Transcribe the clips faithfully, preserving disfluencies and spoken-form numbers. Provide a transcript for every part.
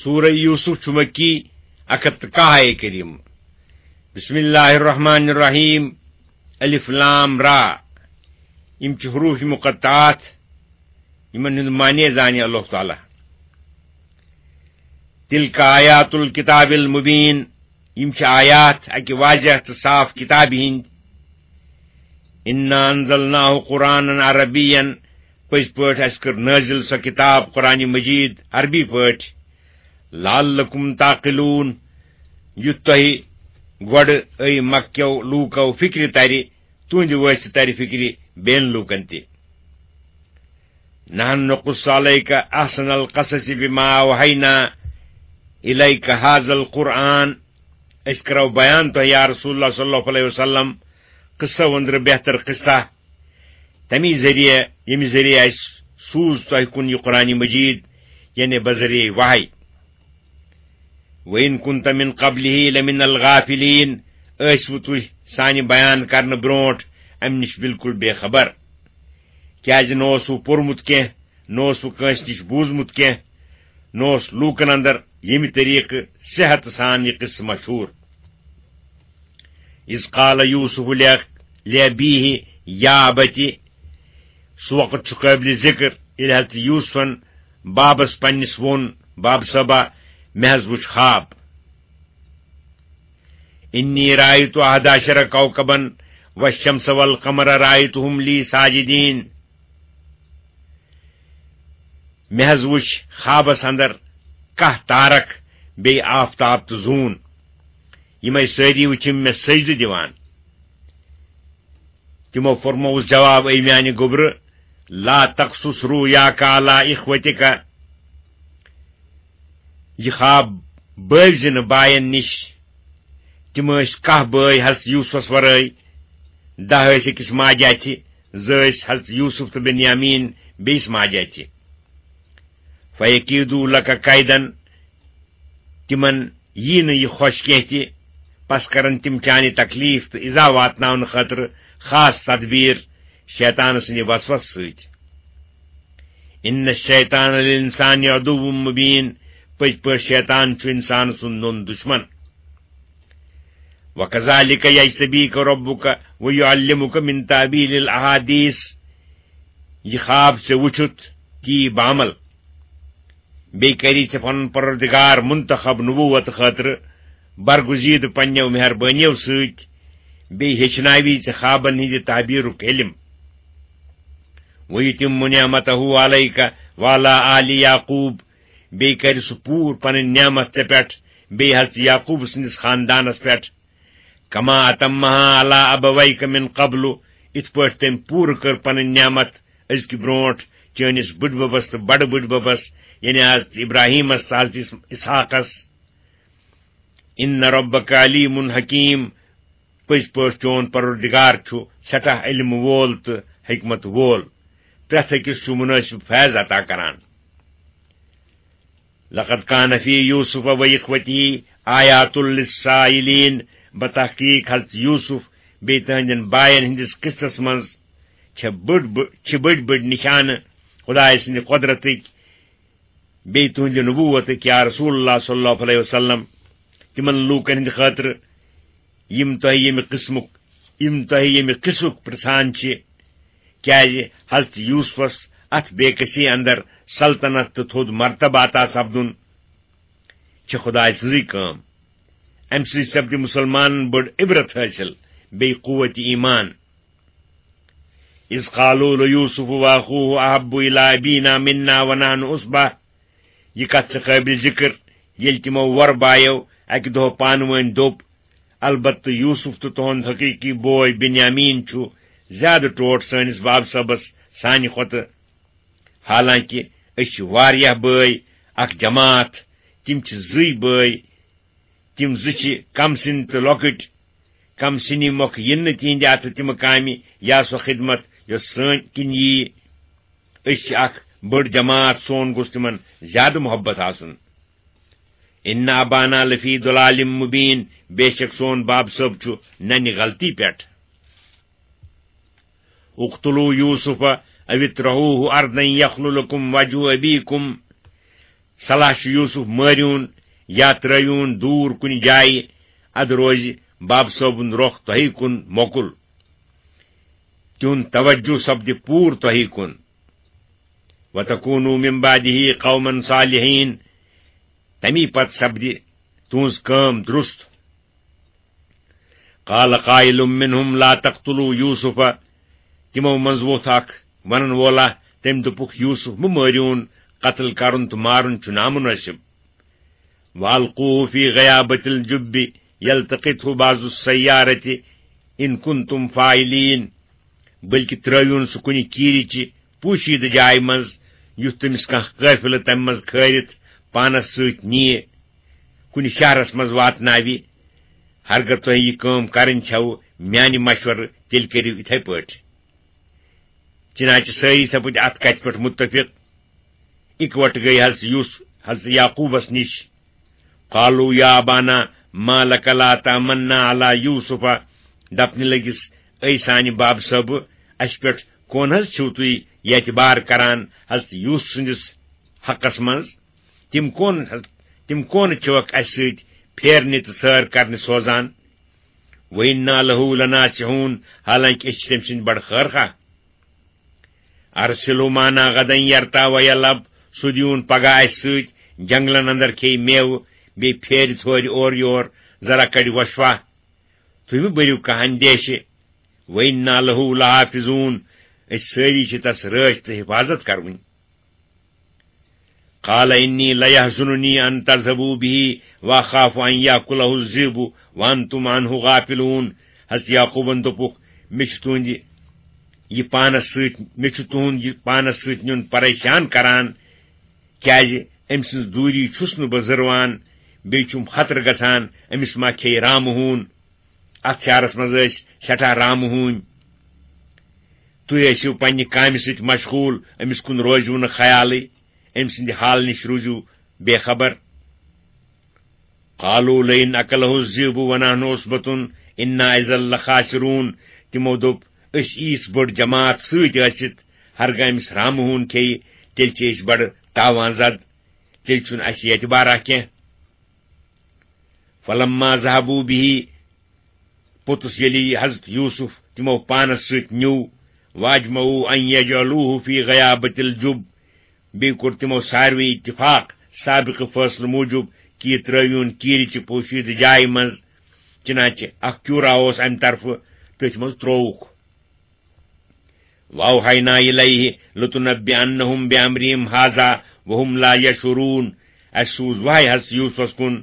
سورہ یوسف چھُ مکی، اکھ ہتھ تہٕ کاہ آیے کریم۔ بسم اللہ الرحمن الرحیم۔ الف لام را۔ یِم چھِ حروف مقطعات، یِمن ہُنٛد معنی زانہِ اللہ تعالیٰ۔ تلک آیات الکتاب المبین۔ یِم چھِ آیات اکہِ واضح تہٕ صاف کتابہِ ہِنٛدۍ۔ انا انزلناہ قرآنا عربیا۔ پٔزۍ پٲٹھۍ اَسہِ کٔر نٲزِل سۄ کتاب قرآن مجید عربی پٲٹھۍ۔ لعلکم تعقلون، یُتھ تۄہہِ گۄڈٕ، اے مکہ کیو لوٗکو، فکرِ ترِ، تُہنٛدِ وٲسطہٕ ترِ فکرِ بیٚین لوٗکن تہِ۔ نحن نقص علیک احسن القصص بما اوحینا الیک هذا القرآن۔ أسۍ کرو بیان تۄہہِ، یا رسول اللہ صلی اللہ علیہ وسلم، قصو أنٛدرٕ بہتر قصہ، تمی ذریعہ، ییٚمہِ ذریعہ اَسہِ سوٗز تۄہہِ کُن یہِ قرآن مجید، یعنی بذریعہ وحی۔ وَإِن كُنتَ مِن قَبْلِهِ لَمِنَ الْغَافِلِينَ۔ ٲسِوٕ تُہۍ سانہِ بیان کرنہٕ برونٹھ امہِ نِش بالکل بے خبر؟ کیازِ نہ اوسوٕ پوٚرمُت کینٛہہ، نہ اوسوٕ کٲنٛسہِ نِش بوٗزمُت کینٛہہ، نہ اوس لوٗکن اندر ییٚمہِ طریقہٕ صحت سان یہِ قصہٕ مشہوٗر۔ اذ قال یوسف لأبیہ یا ابت، سُہ وقت چھُ قٲبلِ ذِکر، ییٚلہِ حضرت یوسفن بابس پننِس ووٚن، باب صٲبا، مےٚ حض وُچھ خواب۔ انی رأیت احد عشر کوکبا والشمس والقمر رأیتہم لی ساجدین۔ مےٚ حض وُچھ خوابس اندر کاہ تارک، بیٚیہِ آفتاب تہٕ زوٗن۔ یِمے سٲری وُچھِم مےٚ سجدٕ دِوان۔ تِمو فرمووُس جواب، اے میانہِ گوٚبرٕ، لا تقصص رؤیاک علی اخوتک۔ یہِ خواب بٲوزِ نہٕ باین نِش۔ تِم ٲسۍ کاہ بٲے حضرت یوسفس ورٲے۔ دَہ ٲسۍ أکِس ماجہِ اَتھِ، زٕ ٲسۍ حضرت یوسف تہٕ بنیامین بیٚیِس ماجہِ اَتھِ۔ فیکیدو لک کیدن، تِمن یی نہٕ یہِ خۄش کینٛہہ تہِ، پس کرن تِم چانہِ تکلیف تہٕ ایذا واتناونہٕ خٲطرٕ خاص تدبیر شیطان سٕنٛدِ وسوسہٕ سۭتۍ۔ ان الشیطان للانسان عدو مبین، پٔزۍ پٲٹھۍ شیطان چھُ انسان سُنٛد نوٚن دشمن۔ وکذالک یجتبیک ربک ویعلمک من تاویل الاحادیث، یہِ خواب ژےٚ وُچھُتھ، تی بعمل۔ بیٚیہِ کری ژےٚ پنُن پروردگار منتخب نبوت خٲطرٕ برگزیدٕ پننیو مہربٲنیو سۭتۍ، بیٚیہِ ہیٚچھناوی ژےٚ خوابن ہٕنٛدِ تعبیرُک علم۔ ویتم نعمتہ علیک وعلی آل یعقوب، بیٚیہِ کرِ سُہ پوٗرٕ پنٕنۍ نعمت ژےٚ پٮ۪ٹھ، بیٚیہِ حضرت یعقوب سٕنٛدِس خاندانس پٮ۪ٹھ۔ کما اتمہا علی ابویک من قبل، یِتھ پٲٹھۍ تٔمۍ پوٗرٕ کٔر پنٕنۍ نعمت أزکہِ برونٹھ چٲنِس بٕڈببس تہٕ بڑٕ بٕڈببس، یعنی حضرت ابراہیمس تہٕ حضرت اس-، اسحاقس۔ ان ربک علیم حکیم، پٔزۍ پٲٹھۍ چون پروردگار چھُ سٮ۪ٹھاہ علم وول تہٕ حکمت وول، پرٛٮ۪تھ أکِس چھُ منٲسب فیض عطا کران۔ لقد کان فی یوسف و اخوتہ آیات للسائلین، بتحقیق حضرت یوسف بیٚیہِ تہنٛدٮ۪ن باین ہٕنٛدِس قصس منٛز چھِ بٔڑ بٔڑ، چھِ بٔڑۍ بٔڑۍ نشانہٕ خدایہِ سٕنٛدِ قۄدرتٕکۍ، بیٚیہِ تُہنٛدِ نبوتٕکۍ، یا رسول اللہ صلی اللہ علیہ وسلم، تِمن لوٗکن ہٕنٛدِ خٲطرٕ، یِم تۄہہِ ییٚمہِ قٕسمُک، یِم تۄہہِ ییٚمہِ قٕصُک پرژھان چھِ، کیازِ حضرت یوسفس اتھ بے کسی اندر سلطنت تہٕ تھوٚد مرتبہ عطا سپدُن چھِ خدایہِ سٕنٛزٕے کٲم۔ امہِ سۭتۍ سپدِ مسلمانن بٔڑ عبرت حٲصِل، بیٚیہِ قوت ایمان۔ اذ قالوا لیوسف واخوہ احب الی ابینا منا ونحن عصبہ، یہِ کتھ چھِ قٲبلِ ذکر، ییٚلہِ تِمو وۄر بایو اکہِ دۄہ پانہٕ وٲنۍ دوٚپ، البتہٕ یوسف تہٕ تُہُنٛد حقیقی بوے بنیامین چھُ زیادٕ ٹوٹھ سٲنِس باب صٲبس سانہِ کھۄتہٕ، حالانکہ أسۍ چھِ واریاہ بٲے، اکھ جماعت، تِم چھِ زٕے بٲے، تِم زٕ چھِ کم سِنۍ تہٕ لۄکٕٹۍ، کم سِنی مۄکھٕ یِن نہٕ تِہنٛدِ اتھٕ تِمہٕ کامہِ یا سۄ خدمت یۄس سٲنۍ کِنۍ ییہِ۔ أسۍ چھِ اکھ بٔڑ جماعت، سون گوٚژھ تِمن زیادٕ محبت آسُن۔ ان ابانا لفی ضلال مبین، بے شک سون باب صٲب چھُ ننہِ غلطی پٮ۪ٹھ۔ اقتلوا یوسف او اطرحوہ ارضا یخل لکم وجہ ابیکم، صلاح چھُ یوسف مٲرِوُن یا ترٲوِوُن دوٗر کُنہِ جایہِ، ادٕ روزِ باب صٲبُن رۄخ تۄہہِ کُن موکُل۔ تِہُنٛد توجہ سپدِ پوٗرٕ تۄہہِ کُن۔ وتکونوا من بعده قوما صالحین، تمی پتہٕ سپدِ تُہٕنٛز کٲم درست۔ قال قائل منهم لا تقتلوا یوسف، تِمو منٛز ووٚتھ اکھ ونن وولا، تٔمۍ دوٚپُکھ، یوسف مہٕ مٲرِوُن، قتل کرُن تہٕ مارُن چھُ نامناسب۔ والقوه فی غیابۃ الجب یلتقطه بعض السیارۃ ان کنتم فاعلین، بلکہ ترٲوِوُن سُہ کُنہِ کیٖرِ چہِ پوشیدٕ جایہِ منٛز، یُتھ تٔمِس کانٛہہ قٲفلہٕ تمہِ منٛز کھٲرِتھ پانس سۭتۍ نِیہِ، کُنہِ شہرس منٛز واتناوِ۔ ہرگاہ تۄہہِ یہِ کٲم کرٕنۍ چھَو میانہِ مشورٕ، تیٚلہِ کٔرِو یِتھے پٲٹھۍ۔ چنانچہ سٲری سپٕدۍ اتھ کتھِ پٮ۪ٹھ متفق۔ اکوٹہٕ گٔیہِ حضرت یوسف حضرت یعقوبس نِش۔ قالوا یا ابانا ما لک لا تأمنا علی یوسف، دپنہِ لٔگِس، اے سانہِ باب صٲبہٕ، اسہِ پٮ۪ٹھ کون حض چھِو تُہۍ اعتبار کران حضرت یوسف سٕنٛدِس حقس منٛز؟ تِم کون، تِم کون چھِوکھ اسہِ سۭتۍ پھیرنہِ تہٕ سٲر کرنہِ سوزان؟ وَإِنَّا لَهُ لَنَاصِحُونَ، حالانکہ أسۍ چھِ تٔمۍ سٕنٛدۍ بڑٕ خٲر خواہ۔ أَرْسِلْهُ مَعَنَا غَدًا يَرْتَعْ وَيَلْعَبْ، سُہ دیٖوُن پگاہ اَسہِ سۭتۍ، جنگلن اندر کھیٚیہِ میوٕ، بیٚیہِ پھیرِ تھورِ اورٕ یور، ذرا کڑِ وۄشفا۔ تُہۍ مہٕ بٔرِو کانٛہہ اندیشہِ۔ وَإِنَّا لَهُ لَحَافِظُونَ، أسۍ سٲری چھِ تس رٲچھ تہٕ حفاظت کرٕنۍ۔ قال إني ليحزنني أن تذهبوا به وأخاف أن يأكله الذئب وأنتم عنه غافلون۔ حضرت یعقوبن دوٚپُکھ، مےٚ چھُ تُہنٛدِ یہِ پانس سۭتۍ، مےٚ چھُ تُہنٛد یہِ پانس سۭتۍ نیُن پریشان کران، کیازِ أمۍ سٕنٛز دوٗری چھُس نہٕ بہٕ زٕروان، بیٚیہِ چھُم خطرٕ گژھان أمِس ما کھیٚیہِ رامہٕ ہوٗن۔ اتھ شہرس منٛز ٲسۍ سٮ۪ٹھاہ رامہٕ ہوٗنۍ۔ تُہۍ ٲسِو پننہِ کامہِ سۭتۍ مشغول، أمِس کُن روزِو نہٕ خیالٕے، أمۍ سٕنٛدِ حال نِش روٗزِو بے خبر۔ قالوا لئن أكله الذئب ونحن عصبة إنا إذا لخاسرون۔ تِمو دوٚپ، أسۍ ییٖژ بٔڑ جماعت سۭتۍ ٲسِتھ، ہرگاہ أمِس رامہٕ ہوٗن کھیٚیہِ، تیٚلہِ چھِ أسۍ بڑٕ تاوان زد، تیٚلہِ چھُنہٕ اَسہِ اعتبارا کینٛہہ۔ فلما ذهبوا به، پوٚتُس ییٚلہِ یہِ حضرت یوسف تِمو پانس سۭتۍ نیوٗ، واجمعوا ان یجعلوه فی غیابۃ الجب، بیٚیہِ کوٚر تِمو ساروٕے اتفاق سابقہٕ فٲصلہٕ موٗجوٗب کہِ یہِ ترٲوِوُن کیٖرِ چہِ پوشیدٕ جایہِ منٛز، چنانچہ اکھ کیوٗرا اوس امہِ طرفہٕ، تٔتھۍ منٛز ترووُکھ۔ وأوحينا إليه لتنبئنهم بأمرهم هذا وهم لا يشعرون۔ اسہِ سوٗز وحی حضرت یوسفس کُن،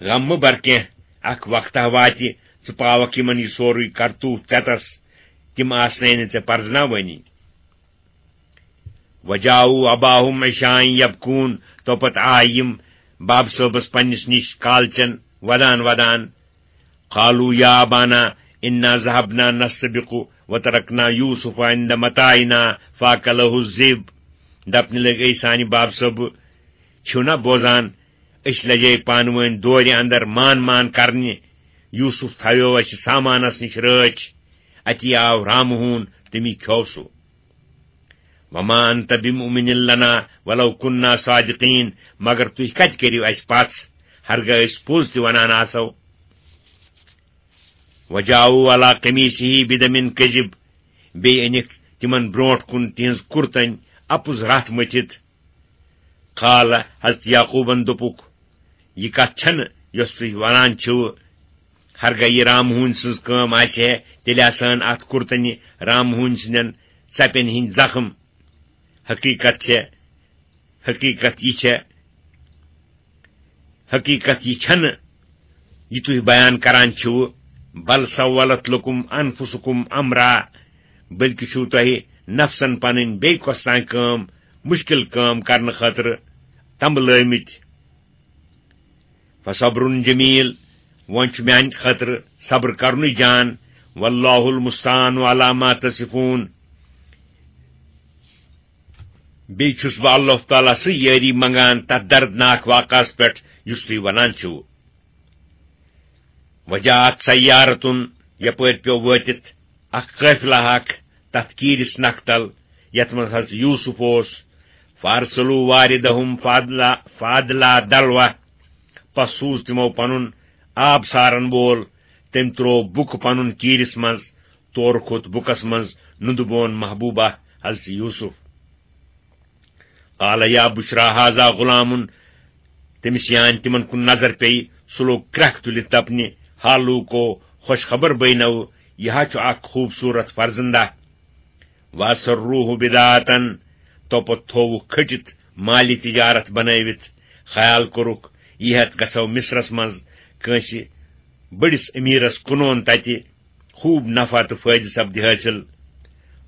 غم مہٕ بر کینٛہہ، اکھ وقتہ واتہِ، ژٕ پاوکھ یِمن یہِ سورُے کرتوٗت ژٮ۪تس، تِم آسنَے نہٕ ژےٚ پرزناوٲنی۔ وجاءوا أباهم عشاء يبكون، تو پتہٕ آے یِم باب صٲبس پننِس نِش کالچن ودان ودان۔ قالوا يا أبانا إنا ذهبنا نستبق وتركنا يوسف عند متاعنا فأكله الذئب۔ دپنہِ لٔگۍ، اے سانہِ باب صٲبہٕ، چھِو نا بوزان، أسۍ لجے پانہٕ وٲنۍ دورِ اندر مان مان کرنہِ۔ یوسف تھاویو اسہِ سامانس نِش رٲچھ، اتی آو رامہٕ ہوٗن، تٔمی کھیوو سُہ۔ وما أنت بمؤمن لنا ولو كنا صادقين، مگر تُہۍ کتہِ کٔرِو اسہِ پژھ، ہرگاہ أسۍ پوٚز تہِ ونان آسو۔ وجاءوا على قميصه بدم كذب، بیٚیہِ أنِکھ تِمن برونٛٹھ کُن تِہنٛز کُرتن اپُز رتھ مٔتھِتھ۔ قال، حضرت یعقوبن دوٚپُکھ، یہِ کتھ چھنہٕ یۄس تُہۍ ونان چھِو، ہرگاہ یہِ رام ہوٗنۍ سٕنٛز کٲم آسہِ ہے، تیٚلہِ آسہٕ ہن اتھ کُرتنہِ رام ہوٗنۍ سٕنٛدٮ۪ن ژپٮ۪ن ہٕنٛدۍ زخم۔ حقیقت چھےٚ، حقیقت یہِ چھےٚ، حقیقت یہِ چھنہٕ یہِ تُہۍ بیان کران چھِو، بل سولت لکم انفسکم امرا، بلکہِ چھِو تۄہہِ نفسن پنٕنۍ بیٚیہِ کۄس تام کٲم، مُشکِل کٲم کرنہٕ خٲطرٕ تمبلٲومٕتۍ۔ فصبر جمیل، وۄنۍ چھُ میانہِ خٲطرٕ صبر کرنُے جان، واللہ المستعان علی ما تصفون۔ بیٚیہِ چھُس بہٕ اللہ تعالیٰ سٕے یٲری منگان تتھ دردناک واقعس پٮ۪ٹھ یُس تُہۍ ونان چھِو۔ وجاءت سیارة، یپٲرۍ پیوٚو وٲتِتھ اکھ قٲفلہ اکھ تتھ کیٖرِس نکھٕ تل، یتھ منٛز حضرت یوسف اوس۔ فارسلو واردہم فادلا فادلا دلوہ۔ پس سوز تِمو پنُن آب سارن وول۔ تٔمۍ تروو بُکہٕ پنُن کیٖرِس منٛز۔ تورٕ کھوٚت بُکس منٛز نُندٕ بون محبوبہ حضرت یوسف۔ قال یا بشرا ہذا غلام۔ تٔمِس یان تِمن کُن نظر پیٚیہِ، سُہ لوٚگ کرٛٮ۪کھ تُلِتھ دپنہِ، ہا لوٗکو، خوش خبر بینو، یہِ ہا چھُ اکھ خوٗبصوٗرت فرزندہ۔ واسروہ بدعتن، تو پتہٕ تھووُکھ کھٔٹِتھ مالی تجارت بنٲوِتھ۔ خیال کوٚرُکھ، یہِ ہٮ۪تھ گژھو مصرس منٛز کٲنٛسہِ بٔڑِس امیٖرس کٕنون، تتہِ خوٗب نفع تہٕ فٲیدٕ سپدِ حٲصِل۔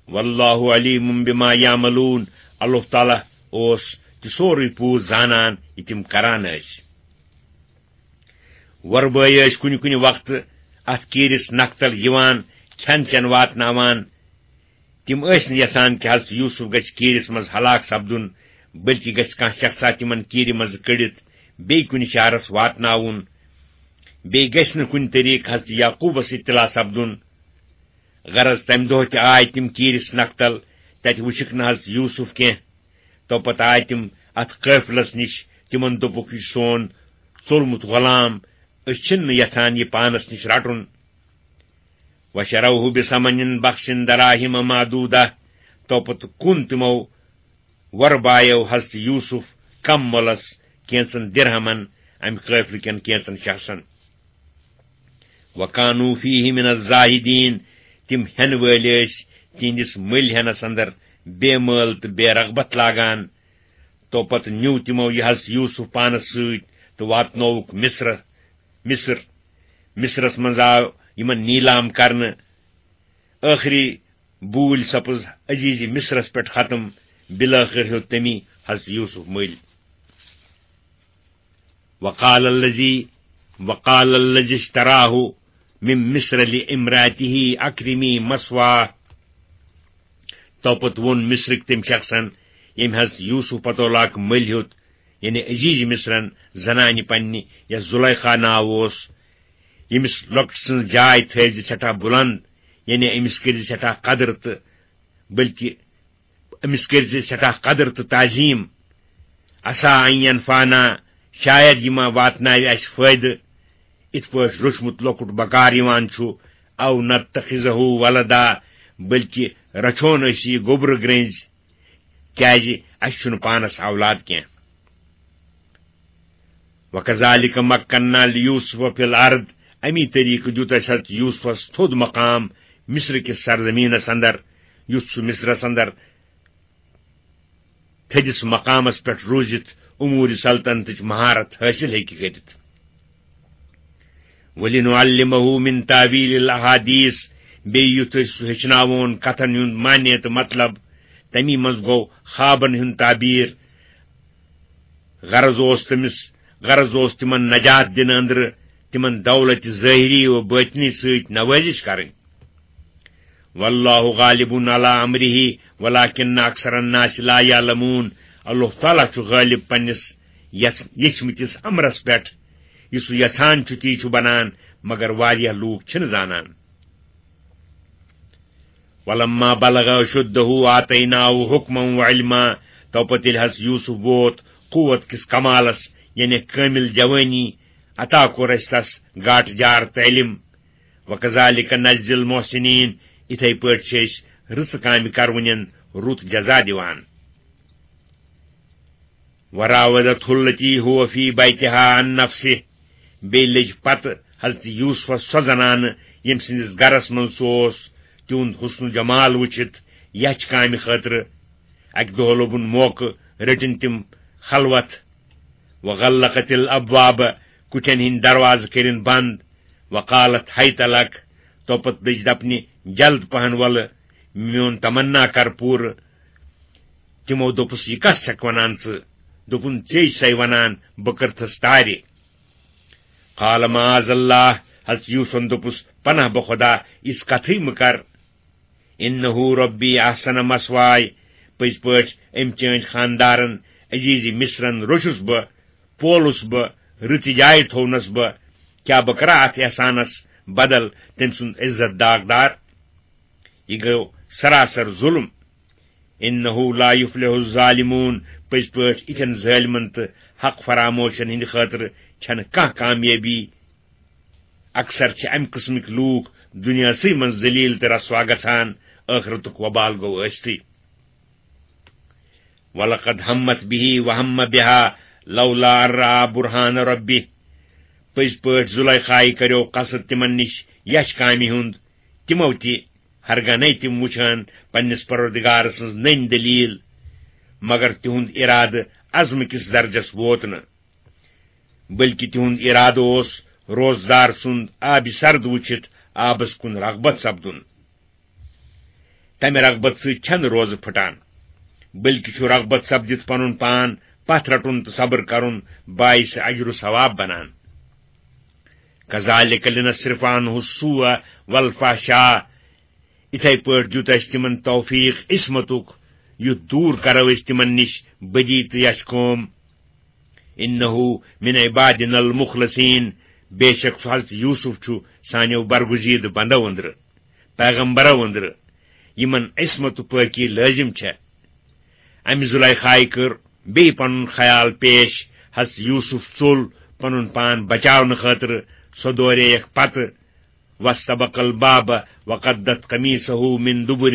واللہ علیم بما یعملون، اللہ تعالیٰ اوس تہِ سورُے پوٗر زانان یہِ تِم کران ٲسۍ۔ وۄربٲے ٲسۍ کُنہِ کُنہِ وقتہٕ اتھ کیٖرِس نکتل یِوان، کھٮ۪ن چٮ۪ن واتناوان۔ تِم ٲسۍ نہٕ یژھان کہِ حضرت یوسف گژھِ کیٖرِس منٛز ہلاک سپدُن، بلکہِ گژھِ کانٛہہ شخصا تِمن کیٖرِ منٛزٕ کٔڑِتھ بیٚیہِ کُنہِ شہرس واتناوُن۔ بیٚیہِ گژھِ نہٕ کُنہِ طریٖقہٕ حضرت یعقوبس اطلاع سپدُن۔ غرض، تمہِ دۄہ تہِ آے تِم کیٖرِس نکتل، تتہِ وُچھکھ نہٕ حضرت یوسف کینٛہہ۔ تو پتہٕ آے تِم اتھ قٲفلس نِش، تِمن دوٚپُکھ، یہِ سون ژوٚلمُت غلام، أسۍ چھِنہٕ یژھان یہِ پانس نِش رٹُن۔ وشروہ بثمن بخس دراہم معدودہ، تو پتہٕ کُن تِمو وۄربایو حضرت یوسف کم مۄلس کینژن درہمن امہِ قٲفلہٕ کٮ۪ن کینژن شخصن۔ وکانوا فیہ من الزاہدین، تِم ہٮ۪نہٕ وٲلۍ ٲسۍ تِہنٛدِس مٔلۍ ہٮ۪نس اندر بے مٲل تہٕ بے رغبت لاگان۔ تو پتہٕ نیوٗ تِمو یہِ حضرت یوسف پانس سۭتۍ تہٕ واتنووُکھ مصر۔ مصر، مصرس منٛز آو یِمن نیلام کرنہٕ۔ ٲخری بوٗلۍ سپٕز عزیز مصرس پٮ۪ٹھ ختم۔ بالآخر ہیوٚت تٔمی حضرت یوسف مٔلۍ۔ وقال الذي وقال الذي اشتراه من مصر لامرأته أكرمي مثواه۔ تو پتہٕ ووٚن مصرٕکۍ تٔمۍ شخصن، ییٚمۍ حضرت یوسف پتولہٕ مٔلۍ ہیوٚت، یعنی عزیز مصرن زنانہِ پننہِ، یس زلیخا ناو اوس، ییٚمِس لۄکٹہِ سٕنٛز جاے تھٲوزِ سٮ۪ٹھاہ بُلند، یعنی أمِس کٔرزِ سٮ۪ٹھاہ قدر تہٕ بلکہِ أمِس کٔرزِ سٮ۪ٹھاہ قدر تہٕ تعظیم۔ عسیٰ ان ینفعنا، شاید یہِ ما واتناوِ اسہِ فٲیدٕ، اِتھ پٲٹھۍ روچھمُت لۄکُٹ بکار یِوان چھُ، او نتخذہ ولدا، بلکہِ رچھون أسۍ یہِ گوٚبرٕ گرٛنٛزۍ، کیازِ اسہِ چھُنہٕ پانس اولاد کینٛہہ۔ وکذالک مکننا لیوسف فی الارض، امی طریقہٕ دیُت اسہِ حضرت یوسفس تھوٚد مقام مصر کِس سرزمینس اندر، یُتھ سُہ مصرس اندر تھٔدِس مقامس پٮ۪ٹھ روٗزِتھ امور سلطنتٕچ مہارت حٲصِل ہیٚکہِ کٔرِتھ۔ ولنعلمہ من تاویل الاحادیث، بیٚیہِ یُتھ أسۍ سُہ ہیٚچھناوون کتھن ہُنٛد معنی تہٕ مطلب، تمی منٛز گوٚو خوابن ہُنٛد تعبیر۔ غرض اوس تٔمِس، غرض اوس تِمن نجات دِنہٕ أنٛدرٕ تِمن دولتِ ظٲہری و بٲطنی سۭتۍ نوٲزِش کرٕنۍ۔ واللہ غالب علی امرہ ولکن اکثر الناس لا یعلمون۔ اللہ تعالیٰ چھُ غٲلب پننِس یژھ-، یژھمٕتِس امرس پٮ۪ٹھ۔ یہِ سُہ یژھان چھُ، تی چھُ بنان، مگر واریاہ لوٗکھ چھِنہٕ زانان۔ ولما بلغ اشدہ آتیناہ حکما و علما، تو پتہٕ ییٚلہِ حضرت یوسف ووت قوت کِس کمالس، یعنی کٲمل جوٲنی، عطا کوٚر اسہِ تس گاٹہٕ جار تعلیم۔ وکذالک نجزی المحسنین، اِتھے پٲٹھۍ چھِ أسۍ رٕژٕ کامہِ کرونٮ۪ن رُت جزا دِوان۔ وراودته التي هو في بيتها عن نفسه، بیٚیہِ لٔج پتہٕ حضرت یوسفس سۄ زنانہٕ، ییٚمہِ سٕنٛدِس گرس منٛز سُہ اوس، تِہُنٛد حسن و جمال وٕچھِتھ یچھ کامہِ خٲطرٕ۔ اکہِ دۄہ لوٚبُن موقعہٕ، رٔٹِن تِم خلوت۔ وغلقت الابواب، کُٹھٮ۪ن ہٕنٛدۍ دروازٕ کٔرِن بنٛد۔ وقالت هيت لك، تو پتہٕ دٔج دپنہِ، جلد پہن ولہٕ، میون تمنا کر پوٗرٕ۔ تِمو دوٚپُس، یہِ کس چھکھ ونان ژٕ؟ دوٚپُن، ژے چھسے ونان، بہٕ کٔرتھس تارِ۔ قال معاذ اللہ، حضرت یوسفن دوٚپُس، پناہ بہ خدا، یِژھ کتھٕے مہٕ کر۔ انہ ربی احسن مثوای، پٔزۍ پٲٹھۍ أمۍ چٲنۍ خاندارن عزیز مصرن روٚچھُس بہٕ، پولُس بہٕ، رٕژِ جایہِ تھوونس بہٕ۔ کیٛاہ بہٕ کرا اتھ احسانس بدل تٔمۍ سُنٛد عزت داغدار؟ یہِ گوٚو سراسر ظلم۔ انہ لا یفلح الظالمون، پٔزۍ پٲٹھۍ یِتھٮ۪ن ظٲلمن تہٕ حق فراموشن ہٕنٛدِ خٲطرٕ چھنہٕ کانٛہہ کامیٲبی۔ اکثر چھِ امہِ قٕسمٕکۍ لوٗکھ دُنیاہسٕے منٛز ذلیل تہٕ رسوا گژھان، ٲخرتُک وبال گوٚو ٲستٕے۔ وَلَقَدْ هَمَّتْ بِهِ وَهَمَّ بِهَا لَوْلَا أَن رَّأَىٰ بُرْهَانَ رَبِّهِ۔ پٔزۍ پٲٹھۍ زُلیخایہِ کریو قصد تِمن نِش یچھ کامہِ ہُنٛد، تِمو تہِ، ہرگاہ نے تِم وُچھان پننِس پروردگار سٕنٛز نٔنۍ دٔلیٖل، مگر تِہُنٛد اِرادٕ عزمہٕ کِس درجس ووت نہٕ، بلکہِ تِہُنٛد اِرادٕ اوس روزدار سُنٛد آبِ سرد وُچھِتھ آبس کُن رغبت سپدُن۔ تمہِ رغبت سۭتۍ چھنہٕ روزٕ پھٹان، بلکہِ چھُ رغبت سپدِتھ پنُن پان پتھ رٹُن تہٕ صبر کرُن باعث اجر و ثواب بنان۔ کذالک لنصرف عنہ السوء والفحشاء۔ اِتھے پٲٹھۍ دیُت اسہِ تِمن توفیق عصمتُک، یُتھ دوٗر کرو أسۍ تِمن نِش بدی تہٕ یچھ کٲم۔ انہ من عبادنا المخلصین، بے شک سُہ حضرت یوسف چھُ سانیو برگزیدٕ بندو أنٛدرٕ، پیغمبرو أنٛدرٕ، یِمن عصمت و پٲکی لٲزم چھےٚ۔ امہِ زلیخایہِ کٔر بیٚیہِ پنُن خیال پیش، حضرت یوسف ژوٚل پنُن پان بچاونہٕ خٲطرٕ، سۄ دورییکھ پتہٕ، واستبق الباب وقدت قمیصه من دبر۔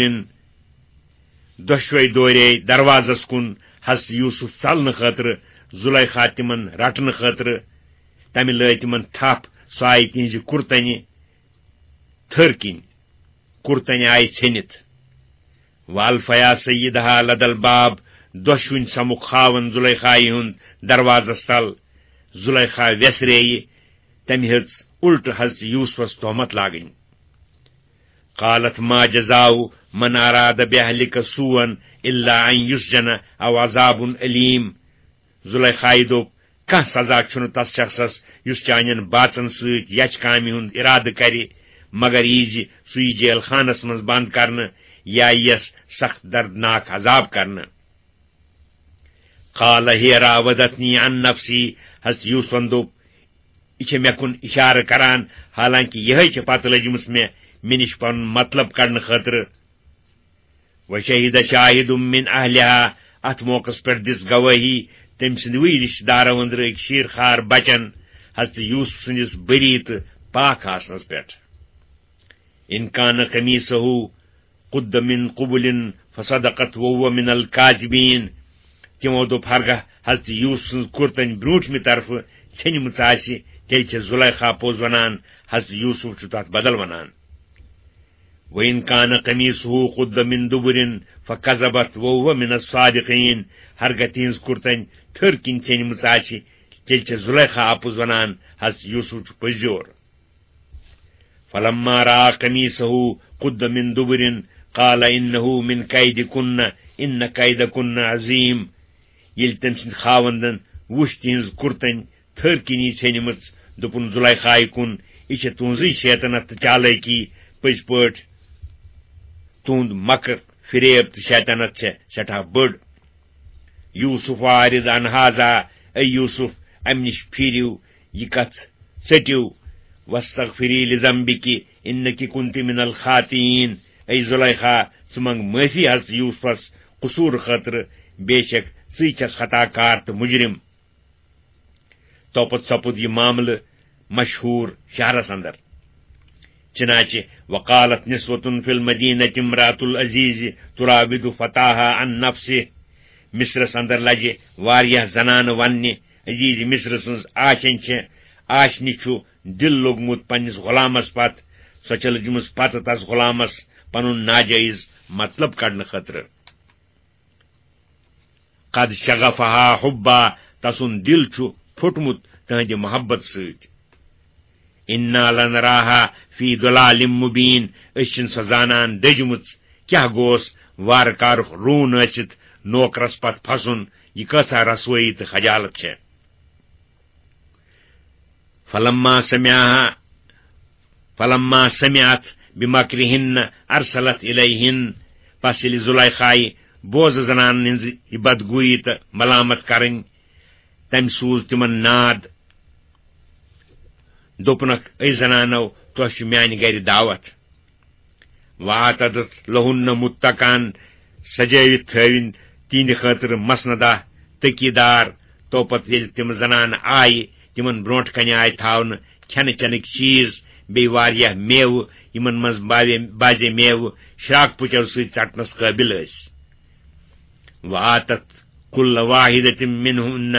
دۄشوے دورے دروازس کُن حضرت یوسف ژلنہٕ خٲطرٕ، زلیخا تِمن رٹنہٕ خٲطرٕ۔ تمہِ لٲج تِمن تھپھ، سۄ آیہِ تِہنزِ کُرتنہِ تھٔر کِنۍ، کُرتنہِ آیہِ ژھیٚنِتھ۔ والفیا سیدها لدى الباب، دۄشوٕنۍ سمُکھ خاوند زلیخایہِ ہُند دروازس تل۔ زلیخا ویسرییہِ، تمہِ ہیژ الٹہٕ حضرت یوسفس تہمت لاگٕنۍ۔ قالت ما جزاء من اراد باهلك سوءا الا ان يسجن او عذاب اليم۔ زلیخایہِ دوٚپ، کانٛہہ سزا چھُنہٕ تس شخصس یُس چانٮ۪ن باژن سۭتۍ یچھ کامہِ ہُنٛد ارادٕ کرِ، مگر یہِ زِ سُہ یی جیل خانس منٛز بند کرنہٕ یا یِیَس سخت دردناک عذاب کرنہٕ۔ قال هي راودتني عن نفسي، حضرت یوسفن دوٚپ، یہِ چھےٚ مےٚ کُن اشارٕ کران، حالانکہ یِہے چھےٚ پتہٕ لٔجمٕژ مےٚ، مےٚ نِش پنُن مطلب کڑنہٕ خٲطرٕ۔ وشهد شاهد من اهلها، اتھ موقعس پٮ۪ٹھ دِژ گوٲہی تٔمۍ سٕنٛدۍ وٕے رشتہٕ دارو أنٛدرٕ أکۍ شیٖر خار بچن حضرت یوسف سٕنٛدِس بری تہٕ پاک آسنس پٮ۪ٹھ۔ ان كان قميصه قد من قبل فصدقت وهو من الكاذبين۔ تِمو دوٚپ، ہرگاہ حضرت یوسف سٕنٛز کُرتن برٛونٛٹھمہِ طرفہٕ ژھیٚنمٕژ آسہِ، تیٚلہِ چھےٚ زلیخا پوٚز ونان، حضرت یوسف چھُ تتھ بدل ونان۔ وَإِنْ كَانَ قَمِيصُهُ قُدَّ مِنْ دُبُرٍ فَكَذَبَتْ وَهُوَ مِنَ الصَّادِقِينَ۔ ہرگاہ تِہنٛز کُرتن تھٔر کِنۍ ژھیٚنمٕژ آسہِ، تیٚلہِ چھےٚ زلیخا اپُز ونان، حضرت یوسف چھُ پٔزیور۔ فَلَمَّا رَأَىٰ قَمِيصَهُ قُدَّ مِنْ دُبُرٍ قَالَ إِنَّهُ مِنْ كَيْدِكُنَّ إِنَّ كَيْدَكُنَّ عَظِيمٌ۔ ییٚلہِ تٔمۍ سٕنٛدۍ خاوندن وُچھ تِہنٛز کُرتن تھٔر کِنی ژھیٚنمٕژ، دوٚپُن زلیخایہِ کُن، یہِ چھےٚ تُہنٛزٕے شیطنت تہٕ چالٲکی، پٔزۍ پٲٹھۍ تُہنٛد مکر، فریب تہٕ شیطنت چھےٚ سٮ۪ٹھاہ بٔڑ۔ یوسف أعرض عن هذا، اے یوسف، امہِ نِش پھیٖرِو، یہِ کتھ ژٔٹِو۔ واستغفری لذنبک انک کنت من الخاطئین، اے زلیخا، ژٕ منٛگ معٲفی حضرت یوسفس قصوٗر خٲطرٕ، بے شک ژٕے چھکھ خطا کار تہٕ مجرم۔ توپتہٕ سپُد یہِ معاملہٕ مشہوٗر شہرس اندر۔ چنانچہ وقالت نسوة فی المدینة امرأة العزیز تراود فتاها عن نفسه۔ مصرس اندر لجہِ واریاہ زنانہٕ وننہِ، عزیز مصر سٕنٛز آشن چھےٚ، آشنہِ چھُ دل لوٚگمُت پننِس غلامس پتھ، سۄ چھےٚ لٔجمٕژ پتہٕ تس غلامس پنُن ناجٲیز مطلب کڑنہٕ خٲطرٕ۔ قد شغفها حبا، تسُنٛد دل چھُ پھوٚٹمُت تہنٛدِ محبت سۭتۍ۔ انا لنراها فی ضلال مبین، أسۍ چھِن سۄ زانان دٔجمٕژ، کیٛاہ گوس وارٕ کارُک روٗن ٲسِتھ نوکرس پتھ پھسُن، یہِ کۭژاہ رسوٲیی تہٕ خجالت چھےٚ۔ فلما سمعها، فلما سمعت بمكرهن ارسلت الیهن، پس ییٚلہِ زلیخایہِ بوزٕ زنانن ہٕنٛز یہِ بدگویی تہٕ ملامت کرٕنۍ، تمہِ سوٗز تِمن ناد، دوٚپنکھ، اے زنانو، تۄہہِ چھُ میانہِ گرِ دعوت۔ واعتدت لهن متكئا، سجٲوِتھ تھٲوِن تِہنٛدِ خٲطرٕ مسندہ، تٔکی دار۔ تو پتہٕ ییٚلہِ تِم زنانہٕ آیہِ، تِمن برونٛٹھ کنہِ آیہِ تھاونہٕ کھٮ۪نہٕ چٮ۪نٕکۍ چیٖز، بیٚیہِ واریاہ میوٕ، یِمن منٛز باوے-، بازے میوٕ شراکہٕ پُچو سۭتۍ ژٹنس قٲبِل ٲسۍ۔ وآتت کل واحدة منہن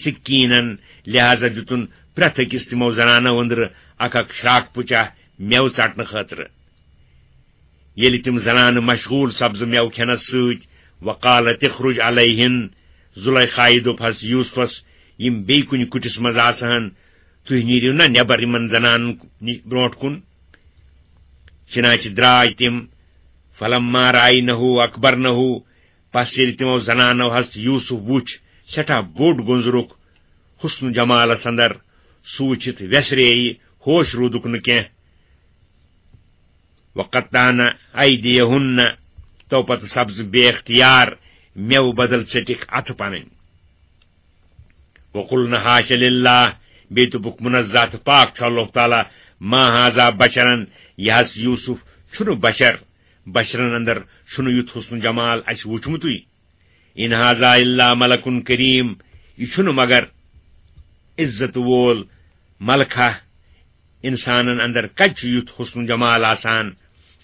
سکینا، لہذا دیُتُن پرٛٮ۪تھ أکِس تِمو زنانو أنٛدرٕ اکھ اکھ شراکہٕ پُچا میوٕ ژٹنہٕ خٲطرٕ۔ ییٚلہِ تِم زنانہٕ مشغول سبزٕ میوٕ کھٮ۪نس سۭتۍ، وقالت اخرج علیہن، زلیخایہِ دوٚپ حضرت یوسفس، یِم بیٚیہِ کُنہِ کُٹھِس منٛز آسہٕ ہن، تُہۍ نیٖرِو نا نٮ۪بر یِمن زنانن نِش برونٛٹھ کُن؟ چنانچہ درٛاے تِم۔ فلما رأینہ اکبرنہ، پس ییٚلہِ تِمو زنانو حضرت یوسف وُچھ، سٮ۪ٹھاہ بوٚڑ گُنزرُک حسن و جمالس اندر، سُہ وُچھِتھ ویسرییہِ، ہوش روٗدُکھ نہٕ کینٛہہ۔ وقطعن ایدیہن، تو پتہٕ سبزٕ بے اختیار میوٕ بدل ژٔٹِکھ اتھٕ پنٕنۍ۔ وقلن حاش للہ، بیٚیہِ دوٚپُکھ، منزہ تہٕ پاک چھُ اللہ تعالیٰ، ما ہذا بشرا، یہِ حضرت یوسف چھُنہٕ بشر، بشرن اندر چھُنہٕ یُتھ حسن جمال اَسہِ وُچھمُتُے۔ ان ہذا الا ملک کریم، یہِ چھُنہٕ مگر عزت وول ملکہ، انسانن اندر کتہِ چھُ یُتھ حسن جمال آسان؟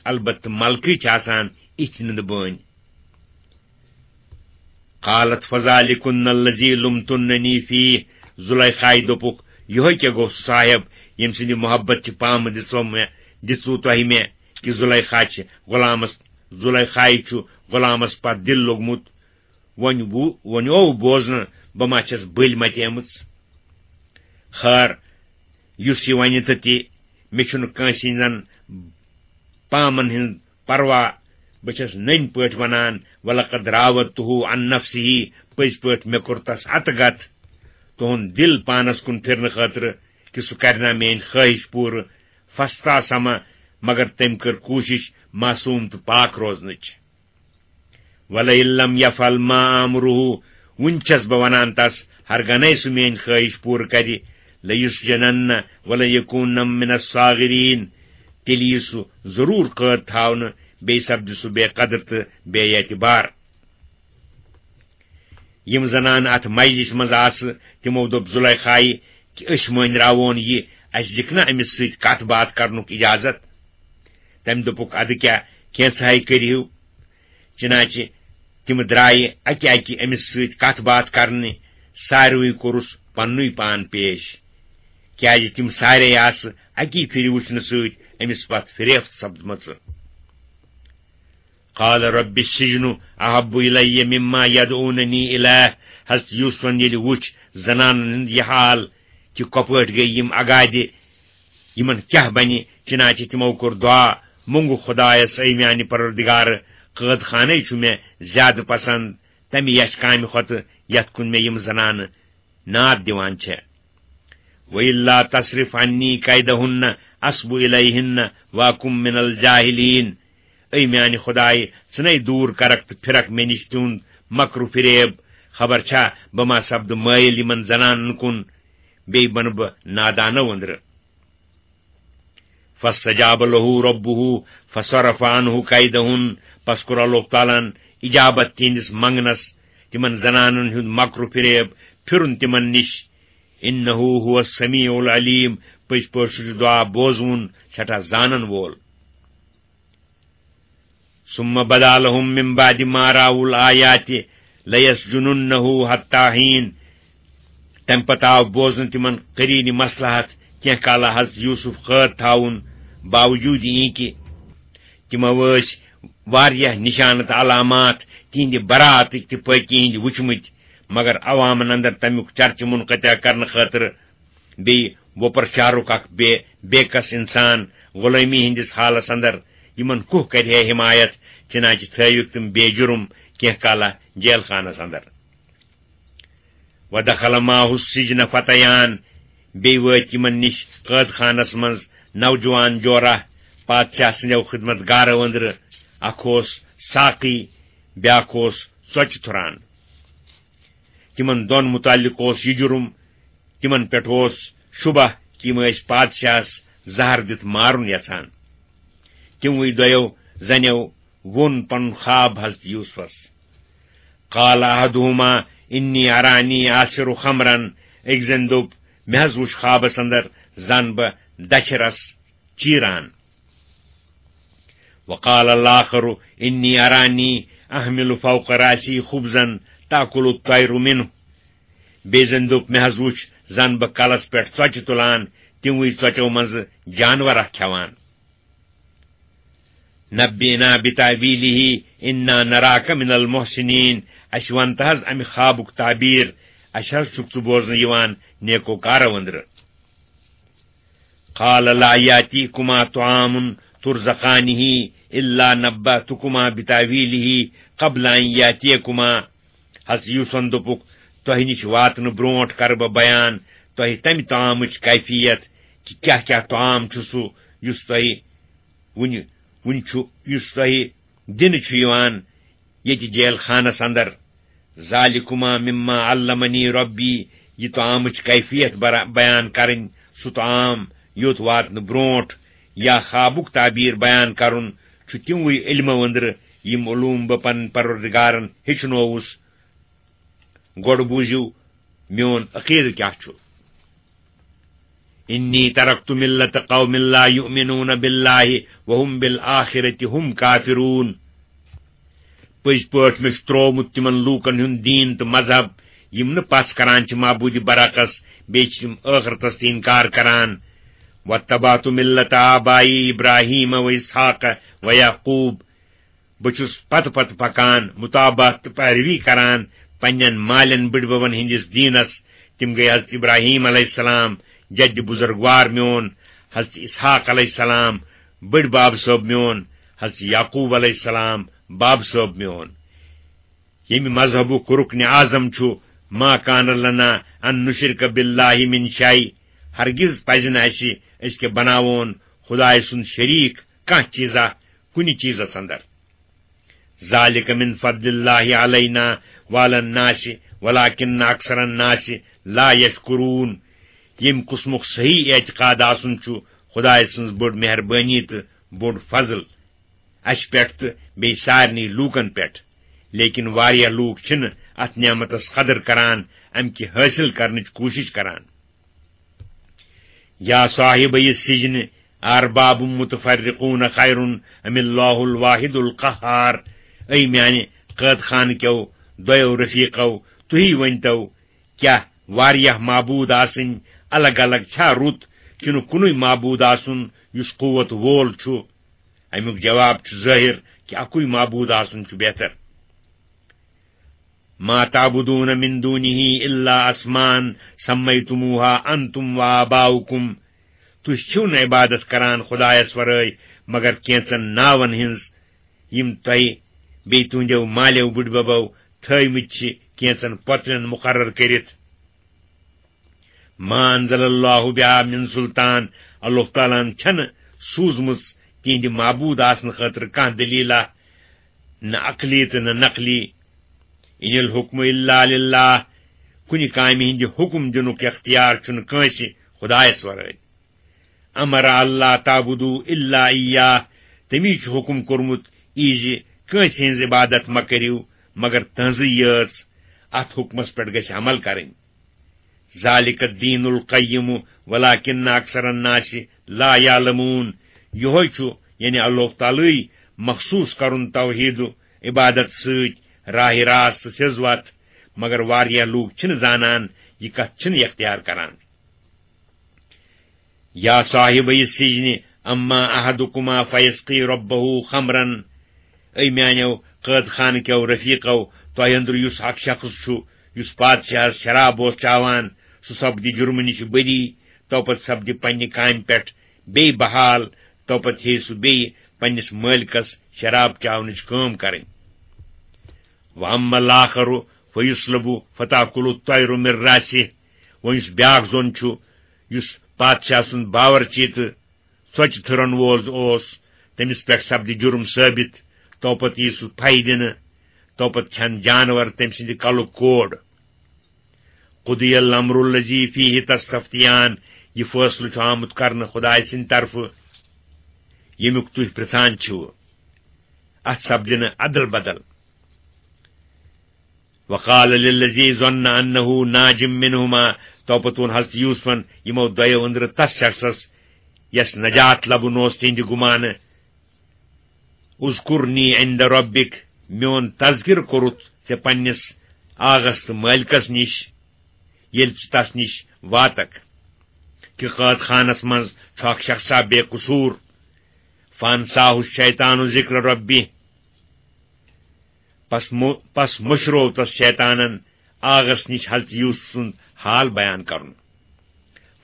البتہ ملکٕے چھِ آسان اِتھۍ نُنہٕ بٲنۍ۔ قالت فذلکن الذی لمتننی فیہ، زلیخایہِ دوٚپُکھ، یِہوٚے کیٛاہ گوٚو سُہ صاحب، ییٚمہِ سٕنٛدِ محبت چہِ پامہٕ دِژو مےٚ، دِژوٕ تۄہہِ مےٚ، کہِ زلیخا چھِ غلامس، زلیخایہِ چھُ غلامس پتھ دِل لوٚگمُت۔ وۄنۍ وُ-، وۄنۍ اوو بوزنہٕ، بہٕ ما چھَس بٔلۍ متیمٕژ؟ خٲر، یُس یہِ وَنہِ تہٕ تہِ، مےٚ چھُنہٕ کٲنٛسہِ ہٕنٛزن پامن ہٕنٛز پروا۔ بہٕ چھَس نٔنۍ پٲٹھۍ وَنان، ولقد راودتہ عن نفسہ، پٔزۍ پٲٹھۍ مےٚ کوٚر تس اَتہٕ گَتھ، تُہُنٛد دِل پانس کُن پھِرنہٕ خٲطرٕ، کہِ سُہ کرِ نا میٛٲنۍ خٲہِش پوٗرٕ۔ فاستعصم، مگر تٔمۍ کٔر کوٗشِش معصوٗم تہٕ پاک روزنٕچ۔ ولئن لم یفعل ما آمرہ، وُنہِ چھَس بہٕ وَنان تس، ہرگنے سُہ میٛٲنۍ خٲہِش پوٗرٕ کرِ، لیسجنن ولن یکون من الصاغرین، تیٚلہِ یی سُہ ضروٗر قٲد تھاونہٕ، بیٚیہِ سپدِ سُہ بے قدر تہٕ بے اعتبار۔ یِم زنانہٕ اتھ مجلس منٛز آسہٕ، تِمو دوٚپ زلیخایہِ کہِ أسۍ مٲنۍ راوون یہِ، اسہِ دِکھ نا أمِس سۭتۍ کتھ باتھ کرنُک اجازت؟ تٔمۍ دوٚپُکھ، ادٕ کیٛاہ، کینٛژھاے کٔرِو۔ چنانچہ تِم درٛایہِ اکہِ اکہِ أمِس سۭتۍ کتھ باتھ کرنہِ، ساروٕے کوٚرُس پننُے پان پیش، کیازِ تِم سارے آسہٕ اکی پھِرِ وٕچھنہٕ سۭتۍ أمِس پتھ فریفت سپدمژٕ۔ قال رب السجن احب الی مما یدعوننی الیہ، حضرت یوسفن ییٚلہِ وُچھ زنانن ہُنٛد یہِ حال، کہِ کۄپٲٹھۍ گٔے یِم اگادِ، یِمن کیٛاہ بنہِ؟ چنانچہ تِمو کوٚر دعا، مونٛگُکھ خدایس، اے میانہِ پروردگار، قٲد خانَے چھُ مےٚ زیادٕ پسند تمہِ یچھ کامہِ کھۄتہٕ، یتھ کُن مےٚ یِم زنانہٕ ناد دِوان چھےٚ۔ وَإِلَّا تَصْرِفْ عَنِّي كَيْدَهُنَّ أَصْبُ إِلَيْهِنَّ وَأَكُن مِّنَ الْجَاهِلِينَ۔ اے میانہِ خدایہِ، ژٕ نے دوٗر کرکھ تہٕ پھرکھ مےٚ نِش تِہُنٛد مکر و فریب۔ خبر چھا، بہٕ ما سپدٕ مٲیِل یِمن زنانن کُن، بیٚیہِ بنہٕ بہٕ نادانو أنٛدرٕ۔ فاستجاب له ربه فصرف عنه كيدهن، پس کوٚر اللہ تعالیٰ ہن اجابت تِہنٛدِس منگنس، تِمن زنانن ہُنٛد مکر و فریب پھرُن تِمن نِش۔ انه هو السميع العليم، پٔزۍ پٲٹھۍ سُہ چھُ دعا بوزوُن، سٮ۪ٹھاہ زانن وول۔ ثم بدا لهم من بعد ما رأوا الآيات ليسجننه حتى حين۔ تمہِ پتہٕ آو بوزنہٕ تِمن قریٖنہِ مصلحت کینٛہہ کالہ حضرت یوسف قٲد تھاوُن، باوجوٗد یہِ کہِ تِمو ٲسۍ واریاہ نشانہٕ تہٕ علامات تِہنٛدِ براتٕکۍ تہٕ پٲکی ہٕنٛدۍ وُچھمٕتۍ، مگر عوامن اندر تمیُک چرچہٕ منقطع کرنہٕ خٲطرٕ بیٚیہِ وۄپر شہرُک اکھ بے، بے کس انسان غلٲمی ہٕنٛدِس حالس اندر، یِمن کُہ کرِ ہے حمایت؟ چنانچہ تھٲوِکھ تِم بے جرم کینٛہہ کالہ جیل خانس اندر۔ ودخل معه السجن فتيان، بیٚیہِ وٲتۍ یِمن نِش قٲد خانس منٛز نوجوان جورہ پادشاہ سٕنٛدیو خدمت گارو أنٛدرٕ، اکھ اوس ساقی، بیٛاکھ اوس ژۄچہِ تھُران۔ تِمن دۄن متعلق اوس یہِ جُرم، تِمن پٮ۪ٹھ اوس شبہ کہِ یِم ٲسۍ پادشاہس زہر دِتھ مارُن یژھان۔ تِموٕے دۄیو زنیو ووٚن پنُن خواب حضرت یوسفس۔ قال احدهما، انی ارانی آسر خمرن، أکۍ زَن دوٚپ، مےٚ حظ وُچھ خوابس اندر زن بہٕ دچھِ رس چیران۔ وقال الاخر انی ارانی احمل فوق راسی خبزا تاکل الطیر منه۔ بیٚیہِ زَن دوٚپ، مےٚ حظ وُچھ زن بہٕ کلس پٮ۪ٹھ ژۄچہِ تُلان، تِموٕے ژۄچو منٛزٕ جانورا کھٮ۪وان۔ نبئنا بتاویلہ انا نراک من المحسنین۔ اسہِ وَن تہٕ حظ امہِ خوابُک تعبیر، اسہِ حظ چھُکھ ژٕ بوزنہٕ یِوان نیکوکارو أنٛدرٕ۔ قال لا یاتیکما طعام ترزقانہ الا نباتکما بتاویلہ قبل ان یاتیکما۔ حضرت یوسفن دوٚپُکھ، تۄہہِ نِش واتنہٕ برونٹھ کرٕ بہٕ بیان تۄہہِ تمہِ طعامٕچ کیفیت، کہِ کیاہ کیاہ طعام چھُ سُہ یُس تۄہہِ وُنہِ، وُنہِ چھُ، یُس تۄہہِ دِنہٕ چھُ یِوان ییٚتہِ جیل خانس اندر۔ ذالکما مما علمنی ربی، یہِ طعامٕچ کیفیت برا-، بیان کرٕنۍ، سُہ طعام یوٚت واتنہٕ برونٹھ یا خوابُک تعبیر بیان کرُن، چھُ تِموٕے علمو أنٛدرٕ یِم علوم بہٕ پنٕنۍ پروردگارن ہیٚچھنووُس۔ گۄڈٕ بوٗزِو میون عقیدٕ کیاہ چھُ۔ انی ترکت ملت قوم لا یؤمنون باللہ وهم بالآخرۃ هم کافرون۔ پٔزۍ پٲٹھۍ مےٚ چھُ ترٛوومُت تِمن لوٗکن ہُنٛد دیٖن تہٕ مذہب، یِم نہٕ پژھ کران چھِ معبوٗدِ برحقس، بیٚیہِ چھِ تِم ٲخرتس تہِ اِنکار کران۔ واتبعت ملت آبائی ابراہیم و اسحاق و یعقوب۔ بہٕ چھُس پتہٕ پتہٕ پکان، مطابعت تہٕ پیروی کران پننٮ۪ن مالٮ۪ن بٕڈببن ہٕنٛدِس دیٖنس۔ تِم گٔے حضرت ابراہیم علیہ السلام، جدِ بزرگوار میون، حضرت اسحاق علیہ السلام، بٕڈۍ بب صٲب میون، حضرت یعقوب علیہ السلام، بب صٲب میون۔ ییٚمہِ مذہبُک رُکن اعظم چھُ، ما کان لنا ان نشرک باللہ من شیء، ہرگز پزِ نہٕ اسہِ أسۍ کہِ بناوون خدایہِ سُنٛد شریٖک کانٛہہ چیٖزا کُنہِ چیٖزس اندر۔ ذالک من فضل اللہ علینا وعلی الناس ولکن اکثر الناس لا یشکرون۔ ییٚمہِ قٕسمُک صحیح اعتقاد آسُن چھُ خدایہِ سٕنٛز بٔڑ مہربٲنی تہٕ بوٚڑ فضل اسہِ پٮ۪ٹھ تہٕ بیٚیہِ سارنٕے لوٗکن پٮ۪ٹھ، لیکن واریاہ لوٗکھ چھِنہٕ اتھ نعمتس قدر کران، امہِ کہِ حٲصِل کرنٕچ کوٗشش کران۔ یا صاحبی السجن ارباب متفرقون خیر ام اللہ الواحد القہار۔ اے میانہِ قٲد خانہٕ کیو دۄیو رفیقو، تُہی ؤنۍتو، کیٛاہ واریاہ معبوٗد آسٕنۍ الگ الگ چھا رُت، کِنہٕ کُنُے معبوٗد آسُن یُس قوت وول چھُ؟ امیُک جواب چھُ ظٲہِر کہِ اکُے معبوٗد آسُن چھُ بہتر۔ ما تعبدون من دونه الا اسماء سمیتموها انتم وآباؤکم۔ تُہۍ چھِو نہٕ عبادت کران خدایس ورٲے مگر کینٛژن ناون ہٕنٛز، یِم تۄہہِ بیٚیہِ تُہنٛدیو مالیو بٕڈببو تھٲومٕتۍ چھِ کینٛژن پۄترٮ۪ن مُقرر کٔرِتھ۔ ما انزل اللہ بها من سلطان، اللہ تعالیٰ ہن چھنہٕ سوٗزمٕژ تِہنٛدِ معبوٗد آسنہٕ خٲطرٕ کانٛہہ دٔلیٖلہ، نہ عقلی تہٕ نہ نقلی۔ ان الحکم الا للہ، کُنہِ کامہِ ہٕنٛدِ حکم دِنُک اختیار چھُنہٕ کٲنٛسہِ خدایس ورٲے۔ امر اللہ تعبدوا الا ایاہ، تٔمی چھُ حکم کوٚرمُت یہِ زِ کٲنٛسہِ ہٕنٛز عبادت مہ کٔرِو مگر تٕہٕنٛزٕے یٲژ، اتھ حکمس پٮ۪ٹھ گژھِ عمل کرٕنۍ۔ ذالک الدین القیم ولکن اکثر الناس لا یعلمون۔ یہوے چھُ، یعنی اللہ تعالیٰ مخصوص کرُن توحید عبادت سۭتۍ راہ راست سیٚز وتھ، مگر واریاہ لوٗکھ چھِنہٕ زانان، یہِ کتھ چھِنہٕ اختیار کران۔ یا صاحبی السجن اما احدکما فیسقی ربہ خمرا۔ اے میانیو قٲد خانہٕ کیو رفیقو، تۄہہِ اندرٕ یُس اکھ شخص چھُ، یُس پادشاہس شراب اوس چاوان، سُہ سپدِ جُرمہٕ نِش بری، تو پتہٕ سپدِ پننہِ کامہِ پٮ۪ٹھ بیٚیہِ بحال، تو پتہٕ ہیٚیہِ سُہ بیٚیہِ پننِس مٲلکس شراب چاونٕچ کٲم کرٕنۍ۔ واما الاخر فیصلب فتاکل الطیر من راسہ۔ وۄنۍ یُس بیاکھ زوٚن چھُ، یُس پادشاہ سُنٛد باورچی تہٕ ژۄچہِ تھٕرن وول اوس، تٔمِس پٮ۪ٹھ سپدِ جُرم ثٲبت، تو پتہٕ یی سُہ پھَے دِنہٕ، تو پتہٕ کھٮ۪ن جانور تٔمۍ سٕنٛدِ کلُک کوڑ۔ قضی الامر الذی فیہ تستفتیان، یہِ فٲصلہٕ چھُ آمُت کرنہٕ خدایہِ سٕنٛدِ طرفہٕ، ییٚمیُک تُہۍ پرژھان چھِو۔ اتھ سپدِ نہٕ ادل بدل۔ وقال للذي ظن أنه ناج منهما، توپتون حضرت یوسفن یِمو دۄیو أنٛدرٕ تس شخصس، یس نجات لبُن اوس تِہنٛدِ گُمانہٕ، اذکرنی عند ربک، میون تذکر کوٚرُتھ ژےٚ پننِس آغس تہٕ مٲلکس نِش، ییٚلہِ ژٕ تس نِش واتکھ۔ کہِ قٲد خانس منٛز چھُ اکھ شخصا بے قصوٗر۔ فانساہ الشیطان ذکر ربی، پس مو-، پس مٔشروو تس شیطانن آغس نِش حضرت یوسف سُنٛد حال بیان کرُن۔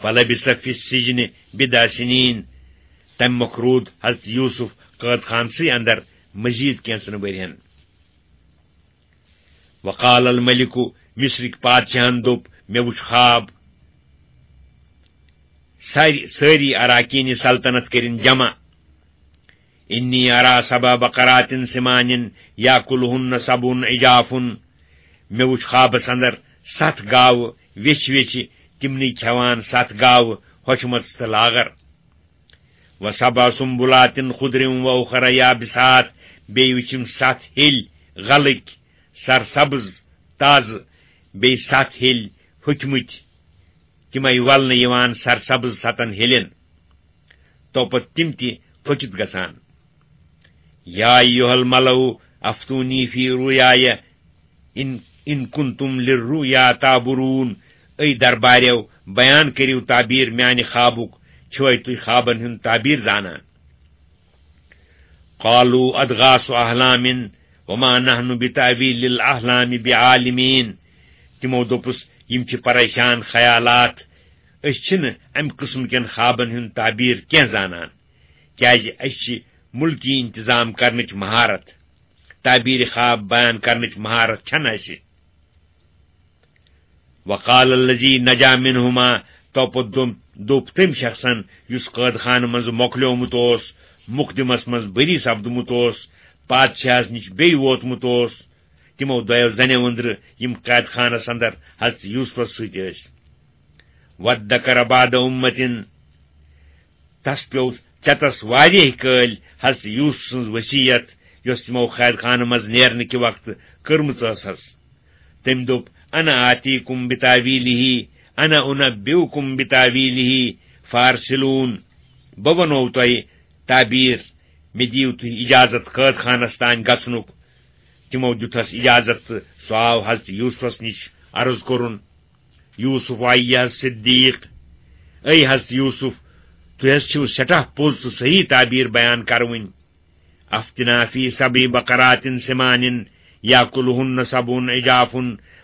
فلبث فی السجن بضع سنین، تمہِ مۄکھ روٗد حضرت یوسف قٲد خانسٕے اندر مزید کینٛژن ؤرین۔ وقال الملک، مصرٕکۍ پادشاہن دوٚپ، مےٚ وُچھ خواب، ساری، سٲری اراکین سلطنت کٔرِن جمع۔ انی ارا سبع بقرات سمان یاکلہن سبع عجاف۔ مےٚ وُچھ خوابس اندر ستھ گاوٕ ویچھِ ویچھِ، تِمنٕے کھٮ۪وان ستھ گاوٕ ہۄچھمژٕ تہٕ لاغر۔ وسبع سنبلات خضر واخر یابسات، بیٚیہِ وُچھِم ستھ ہیٚلۍ غلٕکۍ، سرسبز، تازٕ، بیٚیہِ ستھ ہیٚلۍ ہوٚکھمٕتۍ، تِمے ولنہٕ یِوان سرسبز ستن ہیٚلٮ۪ن۔ توپتہٕ تِم تہِ پھٔکِتھ گژھان۔ یا ایھا الملأ افتونی فی رؤیای ان، ان کنتم للرؤیا تعبرون۔ اے درباریو، بیان کٔرِو تعبیر میانہِ خوابُک، چھِوے تُہۍ خوابن ہُنٛد تعبیر زانان؟ قالوا اضغاث احلام وما نحن بتاویل الاحلام بعالمین۔ تِمو دوٚپُس، یِم چھِ پریشان خیالات، أسۍ چھِنہٕ امہِ قٕسمہٕ کٮ۪ن خوابن ہُنٛد تعبیر کینٛہہ زانان، کیازِ أسۍ چھِ مُلکی انتظام کرنٕچ مہارت، تعبیر خواب بیان کرنٕچ مہارت چھنہٕ اسہِ۔ وقال الذی نجا منہما، توپتہٕ دوٚپ، دوٚپ تٔمۍ شخصن یُس قٲد خانہٕ منٛز مۄکلیومُت اوس، مقدمس منٛز بری سپدمُت اوس، پادشاہس نِش بیٚیہِ ووتمُت اوس، تِمو دۄیو زنیو أنٛدرٕ یِم قید خانس اندر حضرت یوسفس سۭتۍ ٲسۍ۔ وادکر بعد امة، تس پیوٚو ژٮ۪تس واریاہ کٲلۍ حضرت یوسف سٕنٛز وصیت، یۄس تِمو قید خانہٕ منٛز نیرنہٕ کہِ وقتہٕ کٔرمٕژ ٲسس۔ تٔمۍ دوٚپ، انا آتیکم بتاویلہ، انا انبئکم بتاویلہ فارسلون، بہٕ ونو تۄہہِ تعبیر، مےٚ دِیِو تُہۍ اجازت قٲد خانس تام گژھنُک۔ تِمو دیُتس اجازت تہٕ سُہ آو حضرت یوسفس نِش عرض کوٚرُن، یوسف ایھا الصدیق، اے حضرت یوسف، تُہۍ حض چھِو سٮ۪ٹھاہ پوٚز تہٕ صحیح تعبیر بیان کروٕنۍ۔ افتنا فی سبع بقرات سمان یاکلہن سبع عجاف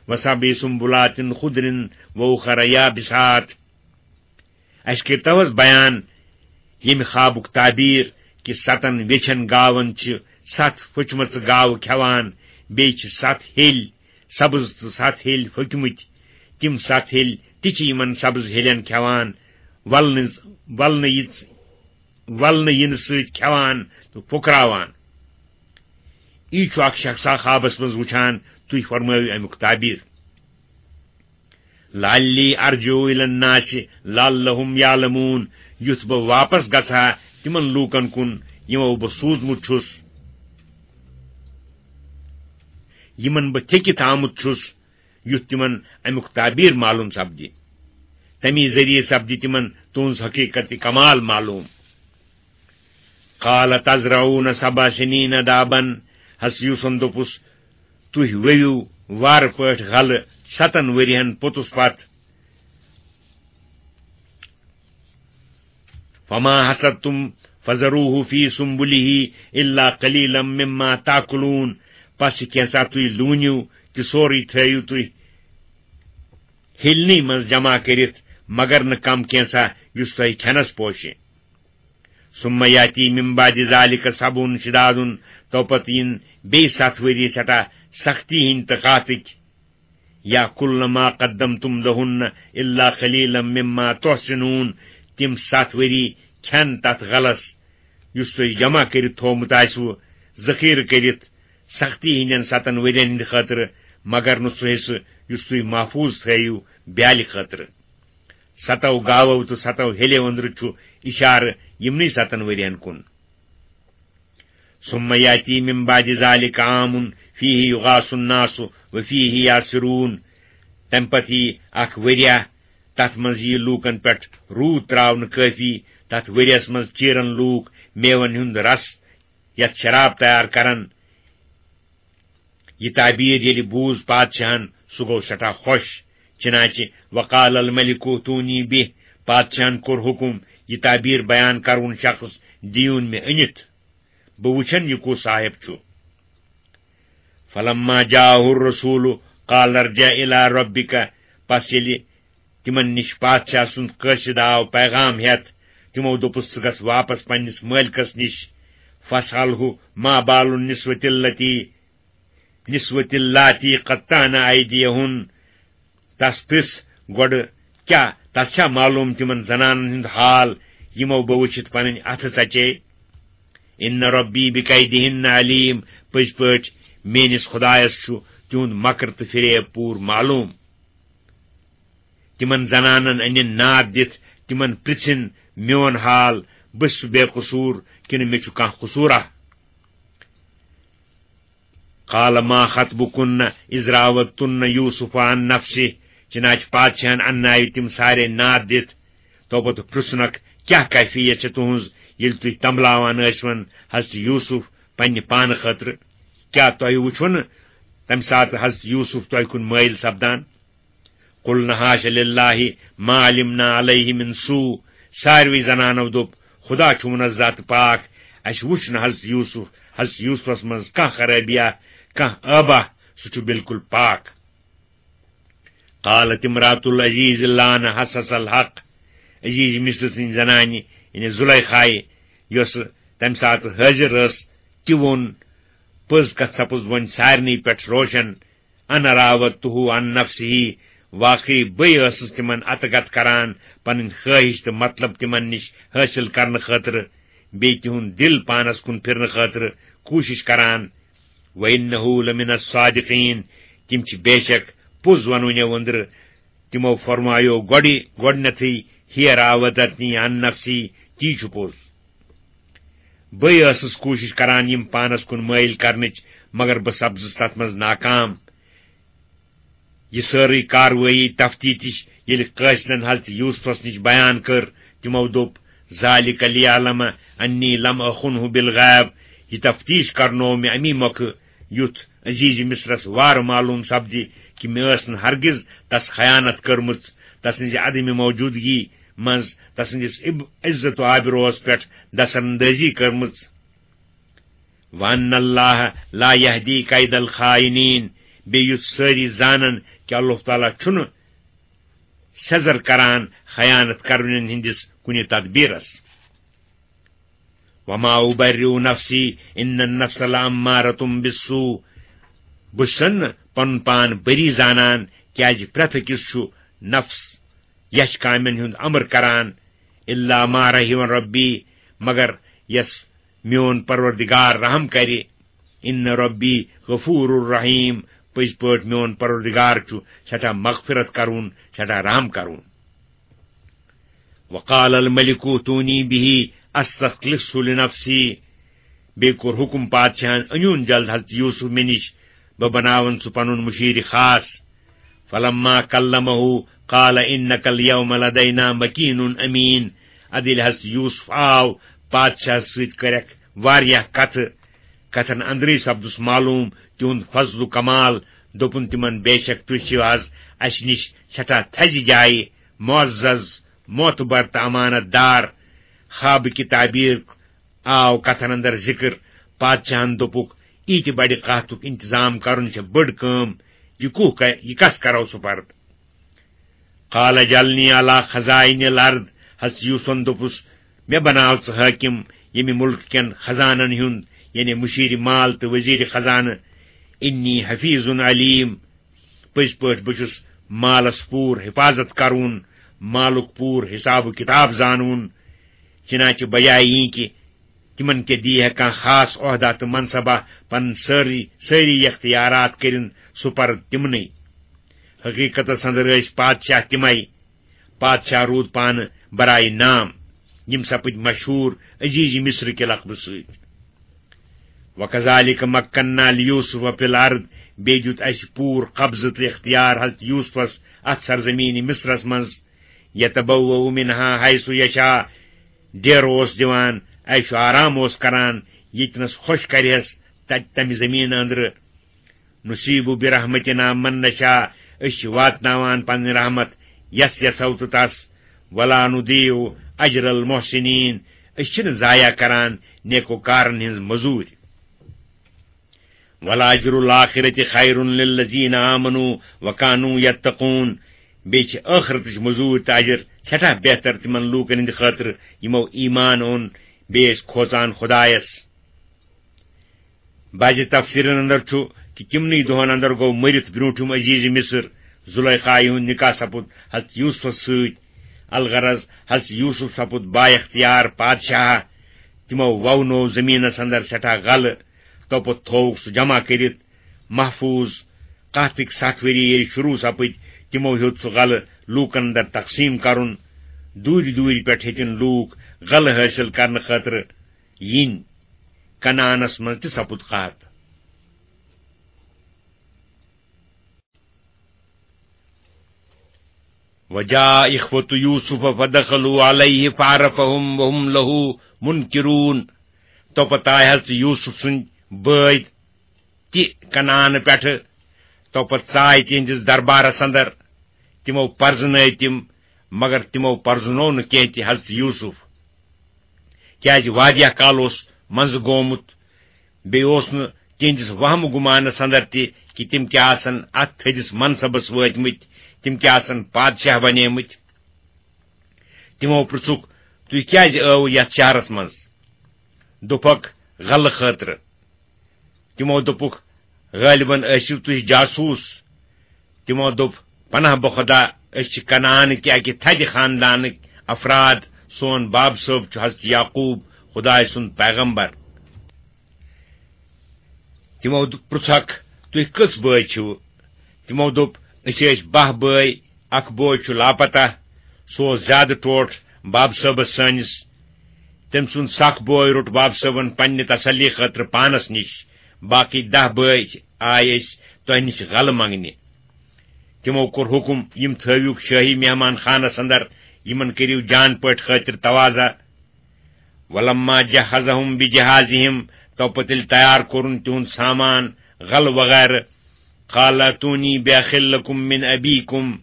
وسبع سنبلات خضر واخر یابسات۔ اسہِ کٔرتو حض بیان ییٚمہِ خوابُک تعبیر کہِ ستن ویچھن گاون چھِ ستھ پھٔچمژٕ گاوٕ کھٮ۪وان، بیٚیہِ چھِ ستھ ہیٚلۍ سبز تہٕ ستھ ہیٚلۍ پھٔکمٕتۍ۔ تِم ستھ ہیٚلۍ تہِ چھِ یِمن سبز ہیٚلٮ۪ن کھٮ۪وان، ولنہٕ، ولنہٕ یِژ-، ولنہٕ یِنہٕ سۭتۍ کھٮ۪وان تہٕ پھُکراوان۔ یی چھُ اکھ شخصا خوابس منٛز وُچھان، تُہۍ فرمٲوِو امیُک تعبیر۔ لعلی ارجع الی الناس لعلہم یعلمون، یُتھ بہٕ واپس گژھٕ ہا تِمن لوٗکن کُن یِمو بہٕ سوٗزمُت چھُس، یِمن بہٕ تھیٚکِتھ آمُت چھُس، یُتھ تِمن امیُک تعبیر معلوم سپدِ۔ تمی ذٔریعہٕ سپدِ تِمن تُہنٛز حقیقت کمال معلوم۔ قال تزرعون سبع سنین دابا، حضرت یوسفن دوٚپُس، تُہۍ ؤوِو وارٕ پٲٹھۍ غلہٕ ستن ؤرین پوٚتُس پتھ۔ فما حصدتم فذروه فی سنبله الا قلیلا مما تاکلون، پس یہِ کینٛژھا تُہۍ لوٗنِو تہِ سورُے تھٲیِو تُہۍ ہیٚلنٕے منٛز جمع کٔرِتھ، مگر نہٕ کم کینٛژھا یُس تۄہہِ کھٮ۪نس پوشہِ۔ ثم یاتی من بعد ذلک سبع شداد، توپتہٕ یِن بیٚیہِ ستھ ؤری سٮ۪ٹھاہ سختی ہٕنٛدۍ تہٕ قحطٕکۍ۔ یاکلن ما قدمتم لہن الا قلیلا مما تحصنون، تِم ستھ ؤری کھٮ۪ن تتھ غلس یُس تُہۍ جمع کٔرِتھ تھوومُت آسِوٕ، ذخیرٕ کٔرِتھ سختی ہٕنٛدٮ۪ن ستن ؤرین ہٕنٛدِ خٲطرٕ، مگر نہٕ سُہ حصہٕ یُس تُہۍ محفوظ تھٲیِو بیالہِ خٲطرٕ۔ ستو گاوو تہٕ ستو ہیٚلیو أنٛدرٕ چھُ اِشارٕ یِمنٕے ستن ؤرین کُن۔ ثم یاتی من بعد ذلک عام، فیہ یغاث الناس و فیہ یعصرون۔ تمہِ پتہٕ یی اکھ ؤریہ، تتھ منٛز یی لوٗکن پٮ۪ٹھ روٗد تراونہٕ کٲفی، تتھ ؤریس منٛز چیرن لوٗکھ میون ہُنٛد رس، یتھ شراب تیار کرن۔ یہِ تعبیر ییٚلہِ بوٗز پادشاہن، سُہ گوٚو سٮ۪ٹھاہ خۄش۔ چنانچہ وقال الملک اوتونی بہ، پادشاہن کوٚر حکم، یہِ تعبیر بیان کرون شخص، دیٖوُن مےٚ أنِتھ، بہٕ وٕچھن یہِ کُس صاحب چھُ۔ فلما جاءه الرسول قال ارجع الى ربك، پس ییٚلہِ تِمن نِش پادشاہ سُنٛد قٲصد آو پیغام ہٮ۪تھ، تِمو دوٚپُس، "ژٕ گژھ واپس پننِس مٲلکس نِش، فاسأله ما بال النسوة التي، نسوة اللاتي قطعن أيديهن۔" تس پرژھ گۄڈٕ، کیٛاہ تس چھا معلوم تِمن زنانن ہُنٛد حال، یِمو بہٕ وٕچھِتھ پنٕنۍ اتھٕ ژچے؟ ان ربی بکیدہن علیم، پٔزۍ پٲٹھۍ میٲنِس خدایس چھُ تِہُنٛد مکر تہٕ فریب پوٗرٕ معلوم۔ تِمن زنانن أنِن ناد دِتھ، تِمن پرژھِن میون حال، بہٕ چھُس بے قصوٗر کِنہٕ مےٚ چھُ کانٛہہ قصوٗرا؟ قال ما خطبكن إذ راودتن يوسف عن نفسه، چنانچہ پادشاہن انناوِ تِم سارے ناد دِتھ۔ توپتہٕ پرژھنکھ، کیٛاہ کیفیت چھےٚ تُہنٛز، ییٚلہِ تُہۍ تمبلاوان ٲسۍون حضرت یوسف پننہِ پانہٕ خٲطرٕ؟ کیٛاہ تۄہہِ وُچھوٕ نہٕ تمہِ ساتہٕ حضرت یوسف تۄہہِ کُن مٲیِل سپدان؟ قلن حاش للہ ما علمنا علیہ من سوء، ساروی زنانو دوٚپ، خدا چھُ منزہ تہٕ پاک، اسہِ وُچھ نہٕ حضرت یوسف، حضرت یوسفس منٛز کانٛہہ خرٲبیہ، کانٛہہ عٲبہ، سُہ چھُ بالکل پاک۔ قالت امرأة العزیز الآن حصحص الحق، عزیز مصر سٕنٛزِ زنانہِ، یعنی زلیخایہِ، یۄس تمہِ ساتہٕ حٲضِر ٲس، تہِ ووٚن، پٔز کتھ سپٕز وۄنۍ سارنٕے پٮ۪ٹھ روشن، انا راودته عن نفسه، واقعی بٕے ٲسٕس تِمن اتہٕ گتہٕ کران پنٕنۍ خٲہِش تہٕ مطلب تِمن نِش حٲصِل کرنہٕ خٲطرٕ، بیٚیہِ تِہُنٛد دِل پانس کُن پھِرنہٕ خٲطرٕ کوٗشِش کران۔ وانه لمن الصادقین، تِم چھِ بے شک پوٚز ونوٕنیو أنٛدرٕ۔ تِمو فرمایو گۄڈٕ، گۄڈٕنیتھٕے، ہی راودتنی عن نفسی، تی چھُ پوٚز۔ بٕے ٲسٕس کوٗشِش کران یِم پانس کُن مٲیِل کرنٕچ، مگر بہٕ سپزٕس تتھ منٛز ناکام۔ یہِ سٲرٕے کاروٲیی تفتیش ییٚلہِ قٲصدن حضرت یوسفس نِش بیان کٔر، تِمو دوٚپ، ذالک لیعلم انی لم اخنہ بالغیب، یہِ تفتیش کرنوو مےٚ امی مۄکھٕ، یُتھ عزیز مصرس وارٕ معلوم سپدِ کہِ مےٚ ٲس نہٕ ہرگز تس خیانت کٔرمٕژ، تسٕنزِ عدم موجودگی منٛز تسٕنٛدِس عب-، عزت و آبروس پٮ۪ٹھ دستاندٲزی کٔرمٕژ۔ وان اللہ لا یہدی کید الخائنین، بیٚیہِ یُتھ سٲری زانن کہِ اللہ تعالیٰ چھُنہٕ سیٚزر کران خیانت کرنہٕ ہٕنٛدِس کُنہِ تدبیرس۔ وما ابرئ نفسی ان النفس لامارۃ بالسوء، بہٕ چھُسن نہٕ پنُن پان بری زانان، کیازِ پرٛٮ۪تھ أکِس چھُ نفس یچھ کامٮ۪ن ہُنٛد امر کران، الا ما رحم ربی، مگر یس میون پروردگار رحم کرِ، ان ربی غفور الرحیم، پٔزۍ پٲٹھۍ میون پروردگار چھُ سٮ۪ٹھاہ مغفرت کرون، سٮ۪ٹھاہ رحم کرون۔ وقال الملک اوتونی به استخلصه لنفسی، بیٚیہِ کوٚر حُکُم پادشاہن، أنِوُن جلد حضرت یوسف مےٚ نِش، بہٕ بناون سُہ پنُن مُشیٖر خاص۔ فلما کلمہ قال انک الیوم لدینا مکین امین۔ ادٕ ییٚلہِ حضرت یوسف آو، پادشاہس سۭتۍ کٔرکھ واریاہ کتھٕ۔ کتھن اندرٕے سپدُس معلوم تِہُنٛد فضل و کمال۔ دوٚپُن تِمن، بے شک تُہۍ چھِو از اسہِ نِش سٮ۪ٹھاہ تھزِ جایہِ، معزز، معتبر تہٕ امانت دار۔ خوابہٕ کہِ تعبیر آو کتھن اندر ذکر۔ پادشاہن دوٚپُکھ، ییٖتِ بڑِ قحطُک انتظام کرُن چھےٚ بٔڑ کٲم، یہِ کوٗ ک-، یہِ کس کرو سُپرد؟ قال اجعلنی علی خزائن الارض، حضرت یوسفن دوٚپُس، مےٚ بناو ژٕ حٲکِم ییٚمہِ مُلکہٕ کٮ۪ن خزانن ہُنٛد، یعنی مُشیٖرِ مال تہٕ وزیٖرِ خزانہٕ۔ انی حفیظ علیم، پٔزۍ پٲٹھۍ بہٕ چھُس مالس پوٗرٕ حفاظت کرون، مالُک پوٗرٕ حساب و کتاب زانون۔ چنانچہ بجایہِ یی کہِ تِمن کیٛاہ دی ہے کانٛہہ خاص عہدہ تہٕ منصبہ، پنٕنۍ سٲری، سٲری اختیارات کٔرِن سُپرد تِمنٕے۔ حقیقتس اندر ٲسۍ پادشاہ تِمے۔ پادشاہ روٗد پانہٕ برایہِ نام، یِم سپٕدۍ مشہوٗر عزیز مصر کہِ لقبہٕ سۭتۍ۔ وَكَذَلِكَ مَكَّنَّا لِيُوسُفَ فِي الْأَرْضِ، بیٚیہِ دیُت اَسہِ پوٗرٕ قبضہٕ تہٕ اختیار حضرت یوسفس اَتھ سرزمینہِ مصرس منٛز، يَتَبَوَّأُ مِنْهَا حَيْثُ يَشَاءُ، ڈیرٕ اوس دِوان، عیش و آرام اوس کران، ییٚتنس خۄش کرِہس، تتہِ تمہِ زٔمیٖنہٕ أنٛدرٕ۔ نُصِيبُ بِرَحْمَتِنَا مَن نَشَاءُ، أسۍ چھِ واتناوان پنٕنۍ رحمت یس یژھو تہٕ تس۔ وَلَا نُضِيعُ أَجْرَ الْمُحْسِنِينَ، أسۍ چھِنہٕ ضایع کران نیکوکارن ہٕنٛز مٔزوٗرۍ۔ وَلَأَجْرُ الْآخِرَةِ خَيْرٌ لِلَّذِينَ آمَنُوا وَكَانُوا يَتَّقُونَ۔ بیٚیہِ چھِ ٲخرتٕچ مٔزوٗرۍ تہٕ اجر سٮ۪ٹھاہ بہتر تِمن لوٗکن ہٕنٛدِ خٲطرٕ، یِمو ایمان اوٚن، بیٚیہِ ٲسۍ کھوژان خۄدایس۔ بعضِ تفسیرن اندر چھُ کہِ تِمنٕے دۄہن اندر گوٚو مٔرِتھ برٛونٛٹھِم عزیز مصر زلیخا، یِہُنٛد نکاح سپُد حضرت یوسفس سۭتۍ۔ الغرض، حضرت یوسف سپُد با اختیار پادشاہ۔ تِمو وونوو زٔمیٖنس اندر سٮ۪ٹھاہ غلہٕ، توپتہٕ تھووُکھ سُہ جمع کٔرِتھ محفوظ۔ قحطٕکۍ ستھ ؤری ییٚلہِ شروع سپٕدۍ، تِمو ہیوٚت سُہ غلہٕ لوٗکن اندر تقسیٖم کرُن۔ دوٗرِ دوٗرِ پٮ۪ٹھ ہیٚتِن لوٗکھ غلہٕ حٲصِل کرنہٕ خٲطرٕ یِنۍ۔ کنعانس منٛز تہِ سپُد قحط۔ وَجَاءَ إِخْوَةُ يُوسُفَ فَدَخَلُوا عَلَيْهِ فَعَرَفَهُمْ وَهُمْ لَهُ مُنْكِرُونَ۔ توپتہٕ آے حضرت یوسف سٕنٛدۍ بٲے تہِ کنعان پٮ۪ٹھٕ، توپتہٕ ژاے تِہنٛدِس دربارس اندر۔ تِمو پرزنٲے تِم، مگر تِمو پرزنوو نہٕ کینٛہہ تہِ حضرت یوسف، کیازِ واریاہ کال اوس منٛزٕ گومُت۔ بیٚیہِ اوس نہٕ تِہنٛدِس وہمہٕ گُمانس اندر تہِ کہِ تِم کیٛاہ آسن اتھ تھٔدِس منصبس وٲتمٕتۍ، تِم کیٛاہ آسن پادشاہ بنیمٕتۍ۔ تِمو پرژھُکھ، "تُہۍ کیٛازِ ٲوٕ یتھ شہرس منٛز؟" دوٚپکھ، "غلہٕ خٲطرٕ۔" تِمو دوٚپُکھ، "غٲلبن ٲسِو تُہۍ جاسوٗس۔" تِمو دوٚپ، "پناہ بخدا، أسۍ چھِ کنعان کہِ اکہِ تھدِ خاندانٕکۍ افراد۔ سون باب صٲب چھُ حضرت یعقوب، خدایہِ سُنٛد پیغمبر۔" تِمو د-، پرژھکھ، "تُہۍ کٔژ بٲے چھِو؟" تِمو دوٚپ، "أسۍ ٲسۍ باہ بٲے، اکھ بوے چھُ لاپتہ، سُہ اوس زیادٕ ٹوٹھ باب صٲبس سٲنِس۔ تٔمۍ سُنٛد سکھ بوے روٚٹ باب صٲبن پننہِ تسلی خٲطرٕ پانس نِش، باقٕے دَہ بٲے آے أسۍ تۄہہِ نِش غلہٕ منگنہِ۔" تِمو کوٚر حُکم، "یِم تھٲوِو شٲہی مہمان خانس اندر، یِمن کٔرِو جان پٲٹھۍ خٲطر توازہ۔" وَلَمَّا جَهَّزَهُم بِجَهَازِهِمْ، تو پتہٕ ییٚلہِ تیار کوٚرُن تِہُنٛد سامان، غلہٕ وغیرہ، قَالَ ائْتُونِي بِأَخٍ لَكُم مِّنْ أَبِيكُمْ،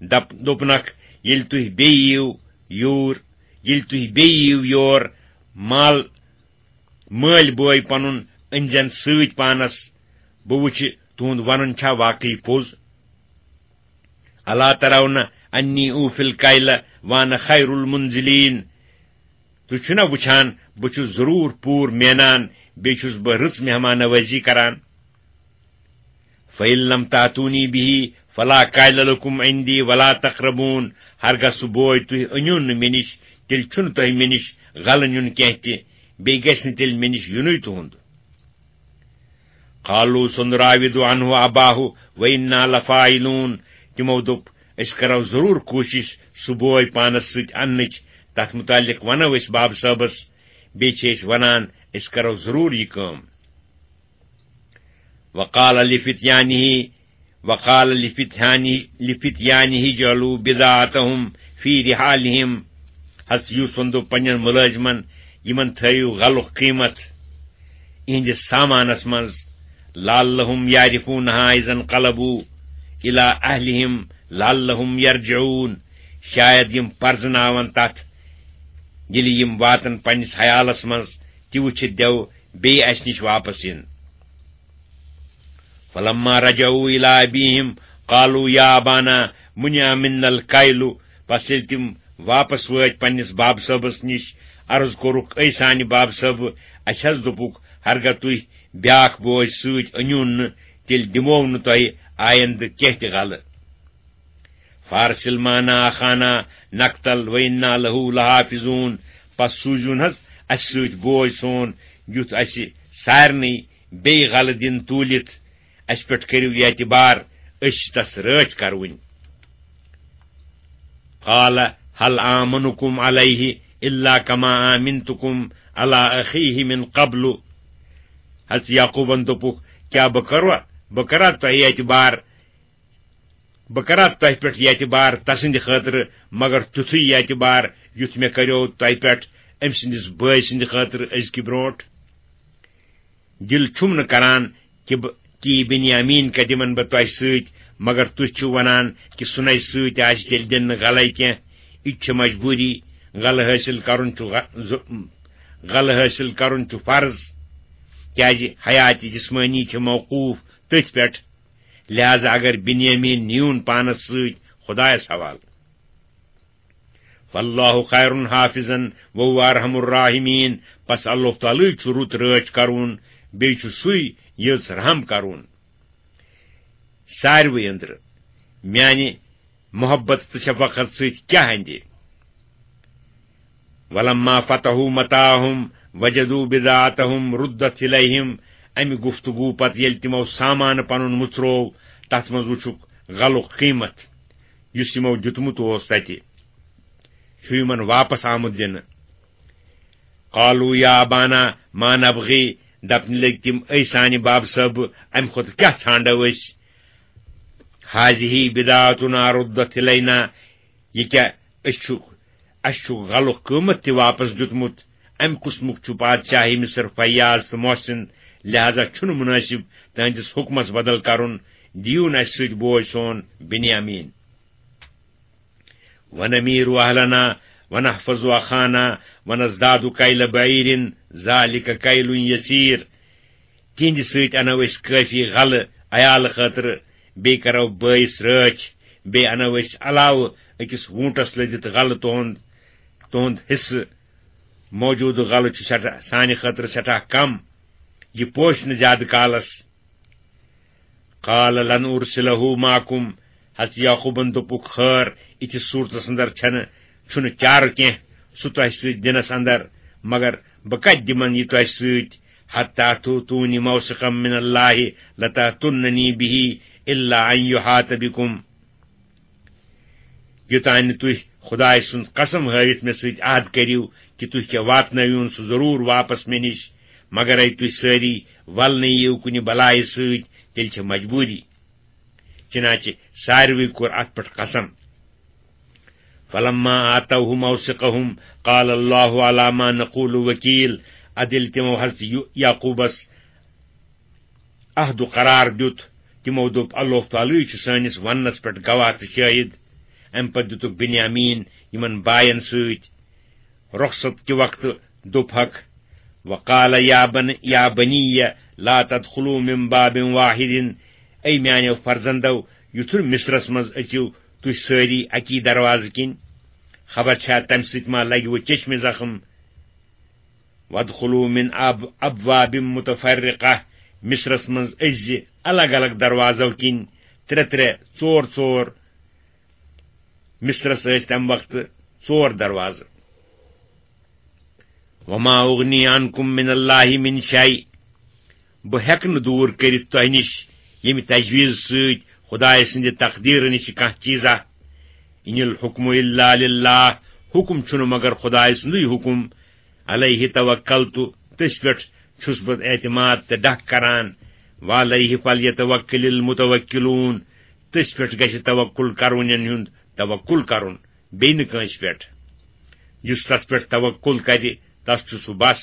دپ-، دوٚپنکھ، "ییٚلہِ تُہۍ بیٚیہِ یِیِو یور، ییٚلہِ تُہۍ بیٚیہِ یِیِو یور، مال، مٲلۍ بوے پنُن أنزٮ۪ن سۭتۍ پانس، بہٕ وٕچھِ تُہُنٛد ونُن چھا واقعی پوٚز۔ أَلَا تَرَوْنَ أَنِّي أُوفِي الْكَيْلَ وَأَنَا خَيْرُ الْمُنزِلِينَ، تُہۍ چھِو نا وٕچھان، بہٕ چھُس ضروٗر پوٗرٕ مینان، بیٚیہِ چھُس بہٕ رٕژ مہمان نوٲزی کران۔ فَإِن لَّمْ تَأْتُونِي بِهِ فَلَا كَيْلَ لَكُمْ عِندِي وَلَا تَقْرَبُونِ، ہرگاہ سُہ بوے تُہۍ أنِو نہٕ مےٚ نِش، تیٚلہِ چھُنہٕ تۄہہِ مےٚ نِش غلہٕ نیُن کینٛہہ تہِ، بیٚیہِ گژھِ نہٕ تیٚلہِ مےٚ نِش یُنُے تُہُنٛد۔" قَالُوا سَنُرَاوِدُ عَنْهُ أَبَاهُ وَإِنَّا لَفَاعِلُونَ۔ تِمو دوٚپ، "أسۍ کرو ضروٗر کوٗشِش سُہ بوے پانس سۭتۍ اننٕچ، تتھ مُتعلق ونو أسۍ باب صٲبس، بیٚیہِ چھِ أسۍ ونان، أسۍ کرو ضروٗر یہِ کٲم۔" وَقَالَ لِفِتْيَانِهِ وَقَالَ لِفِتْيَانِهِ، لِفِتْيَانِهِ اجْعَلُوا بِضَاعَتَهُمْ فِي رِحَالِهِمْ۔ حضرت یوسفن دوٚپ پننٮ۪ن مُلٲزمن، "یِمن تھٲیِو غلُک قۭمتھ یِہنٛدِس سامانس منٛز، لَعَلَّهُمْ يَعْرِفُونَهَا إِذَا انْقَلَبُوا إِلَىٰ أَهْلِهِمْ لَعَلَّهُمْ يَرْجِعُونَ۔" شاید یِم پرزناون تتھ، ییٚلہِ یِم واتن پننِس حیالس منٛز، تہِ وٕچھِتھ دیو بیٚیہِ اسہِ نِش واپس یِن۔ فَلَمَّا رَجَعُوا إِلَىٰ أَبِيهِمْ قَالُوا يَا أَبَانَا مُنِعَ مِنَّا الْكَيْلُ۔ پس ییٚلہِ تِم واپس وٲتۍ پننِس باب صٲبس نِش، عرض کوٚرُکھ، "اے سانہِ باب صٲبہٕ، اسہِ حض دوٚپُکھ، ہرگاہ تُہۍ بیٛاکھ بوے سۭتۍ أنِو نہٕ، تیٚلہِ دِمو نہٕ تۄہہِ آیندٕ کینٛہہ تہِ غلہٕ۔" فَأَرْسِلْ مَعَنَا أَخَانَا نَكْتَلْ وَإِنَّا لَهُ لَحَافِظُونَ۔ پس سوٗزِوُن حض اسہِ سۭتۍ بوے سون، یُتھ اسہِ سارنٕے بیٚیہِ غلہٕ دِن توٗلِتھ۔ اسہِ پٮ۪ٹھ کٔرِو یہِ اعتبار، أسۍ چھِ تس رٲچھ کروٕنۍ۔ قَالَ هَلْ آمَنُكُمْ عَلَيْهِ إِلَّا كَمَا آمَنْتُكُمْ عَلَىٰ أَخِيهِ مِنْ قَبْلُ۔ حضرت یعقوبن دوٚپُکھ، کیٛاہ بہٕ کروا، بہٕ کرا تۄہہِ اعتبار، بہٕ کرا تۄہہِ پٮ۪ٹھ یہِ اعتبار تسٕنٛدِ خٲطرٕ، مگر تیُتھُے یہِ اعتبار یُتھ مےٚ کریو تۄہہِ پٮ۪ٹھ أمۍ سٕنٛدِس بٲے سٕنٛدِ خٲطرٕ أزکہِ برونٛٹھ؟ دِل چھُم نہٕ کران کہِ بہٕ، کہِ یہِ بنیامین کتہِ دِمن بہٕ تۄہہِ سۭتۍ، مگر تُہۍ چھِو ونان کہِ سُہ نَے سۭتۍ آسہِ، تیٚلہِ دِن نہٕ غلے کینٛہہ۔ یہِ تہِ چھِ مجبوٗری، غلہٕ حٲصِل کرُن چھُ غ-، ض-، غلہٕ حٲصِل کرُن چھُ فرض، کیازِ حیات جسمٲنی چھِ موقوف تٔتھۍ پٮ۪ٹھ۔ لہذا اگر بنیامین نیون پانس سۭتۍ خدایس حوالہٕ۔ واللہ خیر حافظا وهو ارحم الراحمین، پس اللہ تعالیٰ چھُ رُت رٲچھ کرون، بیٚیہِ چھُ سُے یٔژ رحم کرون۔ ساروٕے أنٛدرٕ میانہِ محبت تہٕ شفقت سۭتۍ کیٛاہ اندِ؟ ولما فتحوا متاعهم وجدوا بضاعتهم ردت الیہم۔ امہِ گفتگو پتہٕ ییٚلہِ تِمو سامان پنُن مُژروو، تتھ منٛز وُچھُکھ غلُک قۭمتھ، یُس یِمو دیُتمُت اوس تتہِ، چھُ یِمن واپس آمُت دِنہٕ۔ قالوا یا ابانا ما نبغی، دپنہِ لٔگۍ تِم، اے سانہِ باب صٲب، امہِ کھۄتہٕ کیٛاہ ژھانڈو أسۍ؟ هذه بضاعتنا ردت الینا، یہِ کیٛاہ، أسۍ چھُ، اَسہِ چھُ غلُک قۭمتھ تہِ واپس دیُتمُت۔ امہِ قٕسمُک چھُ بادشاہ مصر فیاض تہٕ محسن، لہذا چھُنہٕ مُنٲسِب تہنٛدِس حُکمس بدل کرُن۔ دِیِو نہٕ اَسہِ سۭتۍ بوے سون بنیامین۔ ونمیر اہلنا ونحفظ اخانا ونزداد کیل بعیر ذالک کیل یسیر۔ تِہنٛدِ سۭتۍ انو أسۍ کٲفی غلہٕ عیالہٕ خٲطرٕ، بیٚیہِ کرو بٲیِس رٲچھ، بیٚیہِ انو أسۍ علاوٕ أکِس ووٗنٹس لٔدِتھ غلہٕ تُہُنٛد، تُہُنٛد حصہٕ۔ موجودٕ غلہٕ چھُ سٮ۪ٹھاہ، سانہِ خٲطرٕ سٮ۪ٹھاہ کم۔ یہِ پوشہِ نہٕ زیادٕ کالس۔ قال لن ارسله معکم، حضرت یعقوبن دوٚپُکھ، خٲر، یِتھِس صوٗرتس اندر چھنہٕ، چھُنہٕ چارٕ کینٛہہ سُہ تۄہہِ سۭتۍ دِنس اندر، مگر بہٕ کتہِ دِمن یہِ تۄہہِ سۭتۍ؟ حتی تؤتونی موثقا من اللہ لتأتوننی بہ الا ان یحاط بکم۔ یوٚتام نہٕ تُہۍ خدایہِ سُنٛد قسم ہٲوِتھ مےٚ سۭتۍ عہد کٔرِو کہِ تُہۍ کیٛاہ واتنٲوِوُن سُہ ضروٗر واپس مےٚ نِش، مگر اے تُہۍ سٲری ولنہٕ یِیِو کُنہِ بلایہِ سۭتۍ، تیٚلہِ چھےٚ مجبوٗری۔ چنانچہ ساروٕے کوٚر اتھ پٮ۪ٹھ قسم۔ فلما آتوہ موثقہم قال اللہ علی ما نقول وکیل۔ ادٕ ییٚلہِ تِمو حضرت یو-، یعقوبس عہد و قرار دیُت، تِمو دوٚپ، اللہ تعالیٰ چھُ سٲنِس وننس پٮ۪ٹھ گواہ تہٕ شٲہد۔ امہِ پتہٕ دِتُکھ بنیامین یِمن باین سۭتۍ۔ رخصت کہِ وقتہٕ دوٚپہکھ، وقال یا بن-، یا بنی لا تدخلوا من باب واحد، اے میانیو فرزندو، یُتھُے مصرس منٛز أژِو تُہۍ سٲری اکی دروازٕ کِنۍ، خبر چھا تمہِ سۭتۍ ما لگہِ وۄنۍ چشمہِ زخم۔ وادخلوا من اب-، ابواب متفرقہ، مصرس منٛز أژزِ الگ الگ دروازو کِنۍ، ترٛےٚ ترٛےٚ، ژور ژور۔ مصرس ٲسۍ تمہِ وقتہٕ ژور دروازٕ۔ وما اغنی عنکم من اللہ من شیء، بہٕ ہیٚکہٕ نہٕ دوٗر کٔرِتھ تۄہہِ نِش ییٚمہِ تجویٖز سۭتۍ خدایہِ سٕنٛدِ تقدیٖرٕ نِش کانٛہہ چیٖزا۔ ان الحکم الا للہ، حکم چھُنہٕ مگر خدایہِ سُنٛدُے حکم۔ علیہ توکلت، تٔسۍ پٮ۪ٹھ چھُس بہٕ اعتماد تہٕ ڈکھ کران۔ وعلیہ فلیتوکل المتوکلون، تٔسۍ پٮ۪ٹھ گژھِ توکل کرونٮ۪ن ہُنٛد توکل کرُن، بیٚیہِ نہٕ کٲنٛسہِ پٮ۪ٹھ۔ یُس تس پٮ۪ٹھ توکل کرِ، تس چھُ سُہ بس۔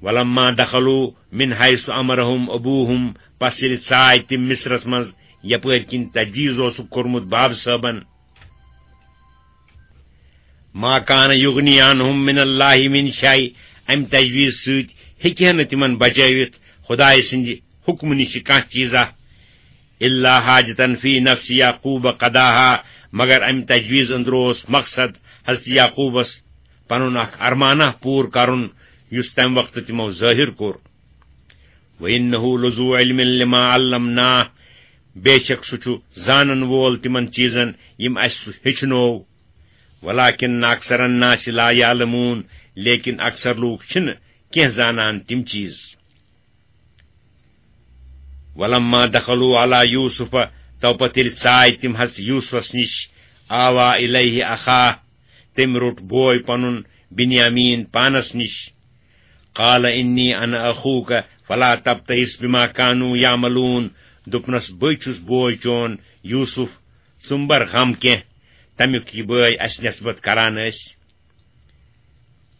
ولما دخلوا من حیث امرهم ابوهم، پس ییٚلہِ ژاے تِم مصرس منٛز، یپٲرۍ کِنۍ تجویٖز اوسُکھ کوٚرمُت باب صٲبن۔ ما کان یغنی عنهم من اللہ من شیء، امہِ تجویٖز سۭتۍ ہیٚکہِ ہا نہٕ تِمن بچٲوِتھ خدایہِ سٕنٛدِ حکمہٕ نِش کانٛہہ چیٖزا۔ الا حاجتن فی نفس یعقوب قضاها، مگر امہِ تجویٖز أنٛدرٕ اوس مقصد حضرت یعقوبس پنُن اکھ ارمانہ پوٗرٕ کرُن، یُس تمہِ وقتہٕ تِمو ظٲہِر کوٚر۔ وَإِنَّهُ لَذُو عِلْمٍ لِمَا عَلَّمْنَاهُ، بے شک سُہ چھُ زانن وول تِمن چیٖزن یِم اَسہِ سُہ ہیٚچھنوو۔ وَلَٰكِنَّ أَكْثَرَ النَّاسِ لَا يَعْلَمُونَ، لیکن اکثر لوٗکھ چھِنہٕ کینٛہہ زانان تِم چیٖز۔ وَلَمَّا دَخَلُوا عَلَىٰ يُوسُفَ، تو پتہٕ ییٚلہِ ژاے تِم حضرت یوسفس نِش، آویٰ إِلَيْهِ أَخَاهُ، تٔمۍ روٚٹ بوے پنُن بنیامین پانس نِش۔ قال انی انا اخوک فلا تبتئس بما کانوا یعملون۔ دوٚپنس، بٕے چھُس بوے چون یوسف، ژٕ مہٕ بر غم کینٛہہ، تمیُک یہِ بٲے اسہِ نسبت کران ٲسۍ۔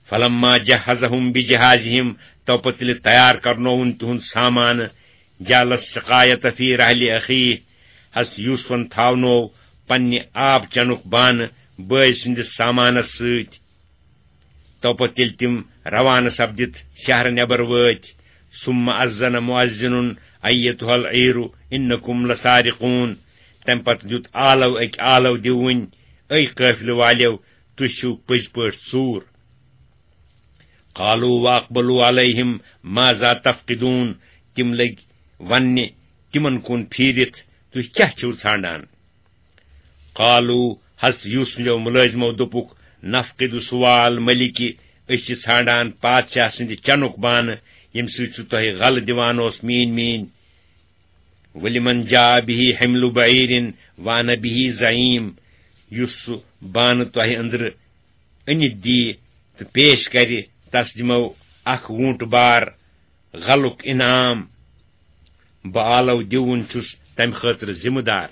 فلما جہزهم بجہازهم، تو پتہٕ ییٚلہِ تیار کرنووُن تِہُنٛد سامان، جعل السقایۃ فی رحل اخیہ، حضرت یوسفن تھاونوو پننہِ آب چنُک بانہٕ بٲے سٕنٛدِس سامانس سۭتۍ۔ تو پتہٕ ییٚلہِ تِم روانہٕ سپدِتھ شہرٕ نٮ۪بر وٲتۍ، ثم اذن مؤذن ایتها العیر انکم لسارقون، تمہِ پتہٕ دیُت آلو أکۍ آلو دِوٕنۍ، اے قٲفلہٕ والیو، تُہۍ چھِو پٔزۍ پٲٹھۍ ژوٗر۔ قالوا واقبلوا علیہم ماذا تفقدون، تِم لٔگۍ وننہِ تِمن کُن پھیٖرِتھ، تُہۍ کیٛاہ چھِو ژھانڈان؟ قالوا، حضرت یوسفو مُلٲزمو دوٚپُکھ، نفقد صواع الملک، أسۍ چھِ ژھانڈان پادشاہ سٕنٛدِ چنُک بانہٕ، ییٚمہِ سۭتۍ سُہ تۄہہِ غلہٕ دِوان اوس میٖنۍ میٖنۍ۔ ولمن جاء به حمل بعیر وانا به زعیم، یُس سُہ بانہٕ تۄہہِ أنٛدرٕ أنِتھ دی تہٕ پیش کرِ، تس دِمو اکھ ووٗنٛٹ بار غلُک انعام۔ بہٕ آلو دِوُن چھُس تمہِ خٲطرٕ ذمہٕ دار۔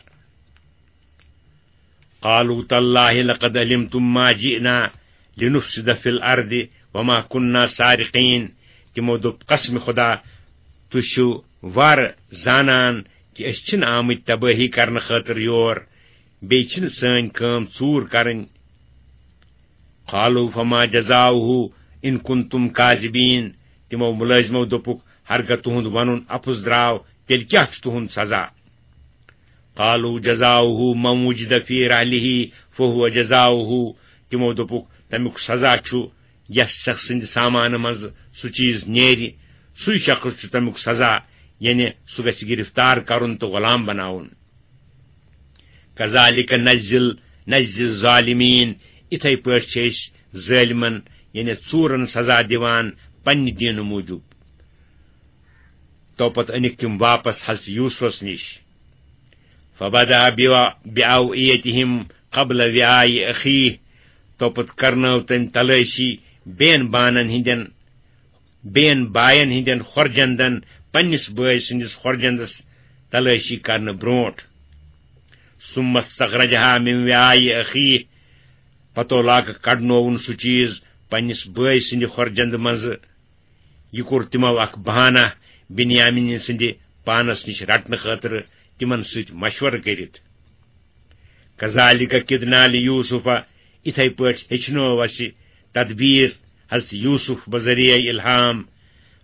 قالوا تاللہ لقد علمتم ما جئنا لنفسد فی الارض وما کنا سارقین۔ تِمو دوٚپ، قسم خدا، تُہۍ چھِو وارٕ زانان کہِ أسۍ چھِنہٕ آمٕتۍ تبٲہی کرنہٕ خٲطرٕ یور، بیٚیہِ چھِنہٕ سٲنۍ کٲم ژوٗر کرٕنۍ۔ قالوا فما جزاؤہ ان کنتم کاذبین۔ تِمو مُلٲزمو دوٚپُکھ، ہرگاہ تُہُنٛد ونُن اپُز درٛاو، تیٚلہِ کیٛاہ چھُ تُہُنٛد سزا؟ قالوا جزاؤہ من وجد فی رحلہ فہو جزاؤہ۔ تِمو دوٚپُکھ، تمیُک سزا چھُ یس شخص سٕنٛدِ سامانہٕ منٛز سُہ چیٖز نیرِ، سُے شخص چھُ تمیُک سزا، یعنی سُہ گژھِ گرفتار کرُن تہٕ غلام بناوُن۔ کذالک نجزی نجزی الظالمین، اِتھے پٲٹھۍ چھِ أسۍ ظٲلمن، یعنی ژوٗرن سزا دِوان پننہِ دیٖنہٕ موٗجوٗب۔ تو پتہٕ أنِکھ تِم واپس حضرت یوسفس نِش۔ فبدأ بوا-، بأوعیتہم قبل وعاء اخیہ، تو پتہٕ کرنٲو تٔمۍ تلٲشی بین بانن ہٕنٛدٮ۪ن بین باین ہٕنٛدٮ۪ن خۄرجندن پننِس بٲے سٕنٛدِس خۄرجندس تلٲشی کرنہٕ برونٹھ۔ ثم استخرجها من وعاء اخیہ، پتو لاگہٕ کڑنووُن سُہ چیز پننِس بٲے سٕنٛدِ خۄرجندٕ منٛزٕ۔ یہِ کوٚر تِمو اکھ بہانہ بنیامین سٕنٛدِ پانس نِش رٹنہٕ خٲطرٕ تِمن سۭتۍ مشورٕ کٔرِتھ۔ کذالک کدنا لیوسف، اِتھے پٲٹھۍ ہیٚچھنٲو اَسہِ تدبیر حضرت یوسف بذریعہ الہام۔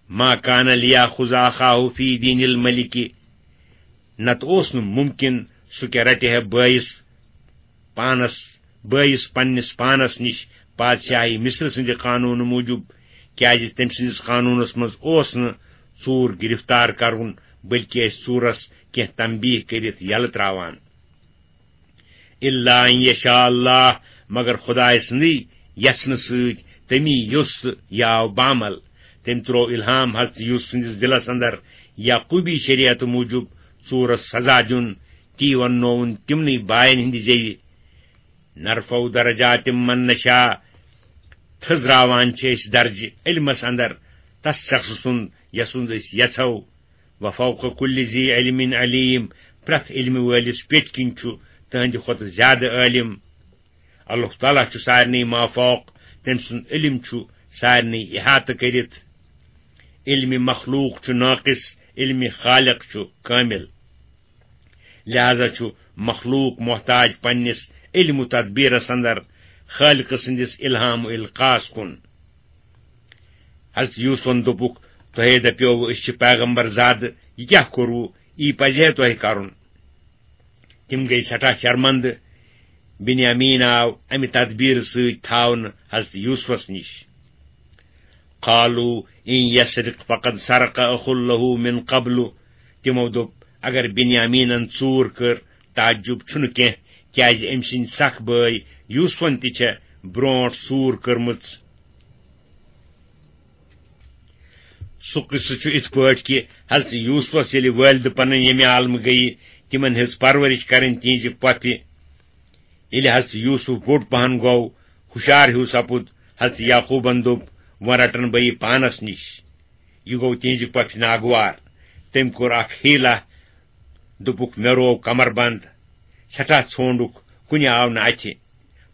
ما کان لیاخذ اخاہ فی دین الملک، نتہٕ اوس نہٕ ممکن سُہ کیٛاہ رٹہِ ہے بٲیِس پانس، بٲیِس پننِس پانس نِش پادشاہی مصر سٕنٛدِ قانوٗنہٕ موٗجوٗب، کیٛازِ تٔمۍ سٕنٛدِس قانوٗنس منٛز اوس نہٕ ژوٗر گرفتار کرُن، بلکہِ ٲسۍ ژوٗرس کینٛہہ تنبیہ کٔرِتھ یلہٕ تراوان۔ الا ان یشاء اللہ، مگر خدایہِ سٕنٛدٕے یژھنہٕ سۭتۍ، تٔمی یوٚژھ تہٕ یہِ آو بعمل۔ تٔمۍ ترٛوو الہام حضرت یوسف سٕنٛدِس دِلس اندر یعقوبی شریعتہٕ موٗجوٗب ژوٗرس سزا دیُن۔ تی وننووُن تِمنٕے باین ہٕنٛدِ ذٔریعہٕ، نرفع درجات من نشاء، تھٔزراوان چھِ أسۍ درجہِ علمس اندر تس شخص سُنٛد یسُنٛد أسۍ یژھو۔ وفوق کل ذی علم علیم، پرٛٮ۪تھ علمہٕ وٲلِس پیٚٹھۍ کِنۍ چھُ تٕہٕنٛدِ کھۄتہٕ زیادٕ عٲلم۔ اللہ تعالیٰ چھُ سارنٕے مافوق، تٔمۍ سُنٛد علم چھُ سارنٕے احاطہٕ کٔرِتھ۔ علم مخلوق چھُ ناقص، علم خالق چھُ کامل۔ لہذا چھُ مخلوق محتاج پننِس علم و تدبیرس اندر خالق سٕنٛدِس الہام و القاس کُن۔ حضرت یوسفن دوٚپُکھ، تۄہے دپیووُ أسۍ چھِ پیغمبر زادٕ، یہِ کیٛاہ کوٚروُ؟ یی پزِ ہے تۄہہِ کرُن۔ تِم گٔیہِ سٮ۪ٹھاہ شرمندٕ۔ بنیامین آو امہِ تدبیرٕ سۭتۍ تھاونہٕ حضرت یوسفس نِش۔ قالوا ان یسرق فقد سرق اخ له من قبل۔ تِمو دوٚپ، اگر بنیامینن ژوٗر کٔر، تعجب چھُنہٕ کینٛہہ، کیازِ أمۍ سٕنٛدۍ سکھ بٲے یوسفن تہِ چھےٚ برونٹھ ژوٗر کٔرمٕژ۔ سُہ قصہٕ چھُ اِتھ پٲٹھۍ کہِ حضرت یوسفس ییٚلہِ والدٕ پنٕنۍ ییٚمہِ عالمہٕ گٔیہِ، تِمن ہٕنٛز پرورش کرٕنۍ تِہنٛزِ پۄپھِ۔ ییٚلہِ حضرت یوسف بوٚڑ پہن گوٚو، ہُشار ہیوٗ سپُد، حضرت یعقوبن دوٚپ، وۄنۍ رٹن بہٕ یہِ پانس نِش۔ یہِ گوٚو تِہنزِ پۄپھِ ناگوار۔ تٔمۍ کوٚر اکھ حیلہ، دوٚپُکھ، مےٚ روو کمر بند، سٮ۪ٹھاہ ژھونڈُکھ، کُنہِ آو نہٕ اتھِ۔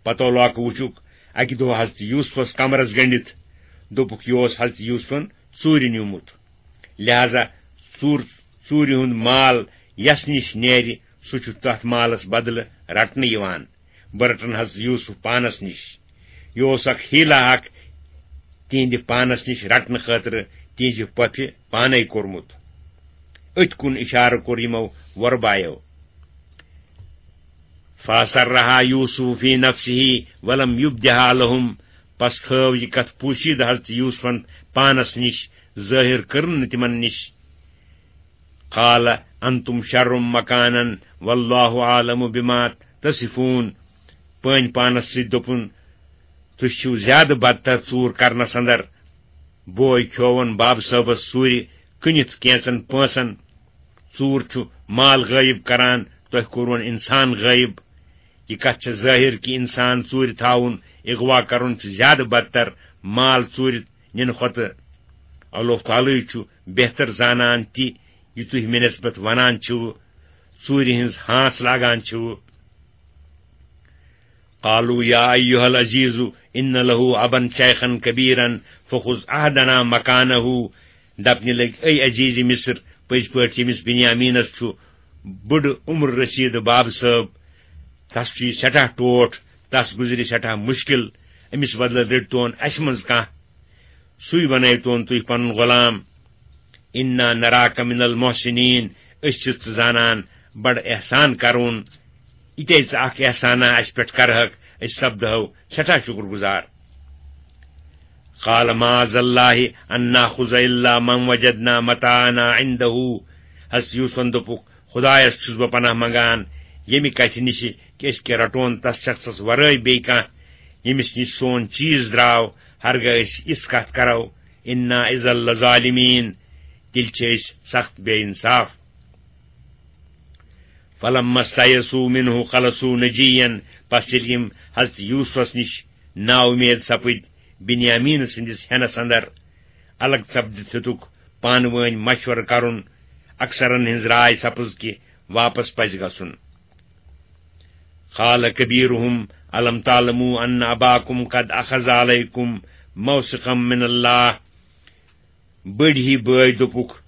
پتو لوکہٕ وُچھُکھ، اکہِ دۄہ حضرت یوسفس کمرس گٔنڈِتھ۔ دوٚپُکھ، یہِ اوس حضرت یوسفن ژوٗرِ نیوٗمُت۔ لہذا ژوٗر، ژوٗرِ ہُنٛد مال یس نِش نیرِ، سُہ چھُ تتھ مالس بدلہٕ رٹنہٕ یِوان۔ بہٕ رٹن حضرت یوسف پانس نِش۔ یہِ اوس اکھ حیلہ اکھ تِہنٛدِ پانس نِش رٹنہٕ خٲطرٕ تِہنٛزِ پۄپھِ پانے کوٚرمُت۔ أتھۍ کُن اِشارٕ کوٚر یِمو وۄربایو۔ فَأَسَرَّهَا يُوسُفُ فِي نَفْسِهِ وَلَمْ يُبْدِهَا لَهُمْ۔ پس تھٲو یہِ کتھ پوشیدٕ حضرت یوسفن پانس نِش، ظٲہِر کٔرٕن نہٕ تِمن نِش۔ قَالَ أَنْتُمْ شَرٌّ مَكَانًا وَاللَّهُ أَعْلَمُ بِمَا تَصِفُونَ۔ پٲنۍ پانس سۭتۍ دوٚپُن، تُہۍ چھِو زیادٕ بدتر ژوٗر کرنس اندر۔ بوے کھیوون باب صٲبس ژوٗرِ کٕنِتھ کینژن پونسن۔ ژوٗر چھُ مال غٲیب کران، تۄہہِ کوٚروُن انسان غٲیب۔ یہِ کتھ چھےٚ ظٲہر کہِ انسان ژوٗرِ تھاوُن، اغوا کرُن چھُ زیادٕ بدتر مال ژوٗرِ نِنہٕ کھۄتہٕ۔ اللہ تعالیٰ چھُ بہتر زانان تہِ یہِ تُہۍ مےٚ نسبت ونان چھِو، ژوٗرِ ہٕنٛز ہانٛژ لاگان چھِو۔ قالوا يا أيها العزيز إن له أبا شيخا كبيرا فخذ أحدنا مكانه۔ دپنہِ لٔگۍ، اے عزیز مصر، پٔزۍ پٲٹھۍ ییٚمِس بنیامینس چھُ بُڈٕ عمر رسیدٕ باب صٲب، تس چھُ یہِ سٮ۪ٹھاہ ٹوٹھ، تس گُزرِ سٮ۪ٹھاہ مُشکل، أمِس بدلہٕ رٔٹۍتون اسہِ منٛز کانٛہہ۔ سُے بنٲوتون تُہۍ پنُن غلام۔ إنا نراك من المحسنين، أسۍ چھِ ژٕ زانان بڑٕ احسان کرون۔ یہِ تے ژٕ اکھ احسانہ اسہِ پٮ۪ٹھ کرہکھ، أسۍ سپدہو سٮ۪ٹھاہ شُکر گُزار۔ قال معاذ الله أن نأخذ إلا من وجدنا متاعنا عنده۔ حضرت یوسفن دوٚپُکھ، خدایس چھُس بہٕ پناہ منگان ییٚمہِ کتھِ نِشہِ کہِ أسۍ کیٛاہ رٹون تس شخصس ورٲے بیٚیہِ کانٛہہ، ییٚمِس نِش سون چیٖز درٛاو، ہرگاہ أسۍ یِژھ کتھ کرو، إنا إذا لظالمين، تیٚلہِ چھِ أسۍ سخت بے انصاف۔ فلما استيئسوا منه خلصوا نجيا، پس ییٚلہِ یِم حضرت یوسفس نِش نااُمید سپٕدۍ بنیامین سٕنٛدِس ہٮ۪نس اندر، الگ سپدِتھ ہیوٚتُکھ پانہٕ وٲنۍ مشورٕ کرُن۔ اکثرن ہٕنٛز راے سپٕز کہِ واپس پزِ گژھُن۔ قال كبيرهم ألم تعلموا أن أباكم قد أخذ عليكم موثقا من الله۔ بٔڑۍ ہی بٲے دوٚپُکھ،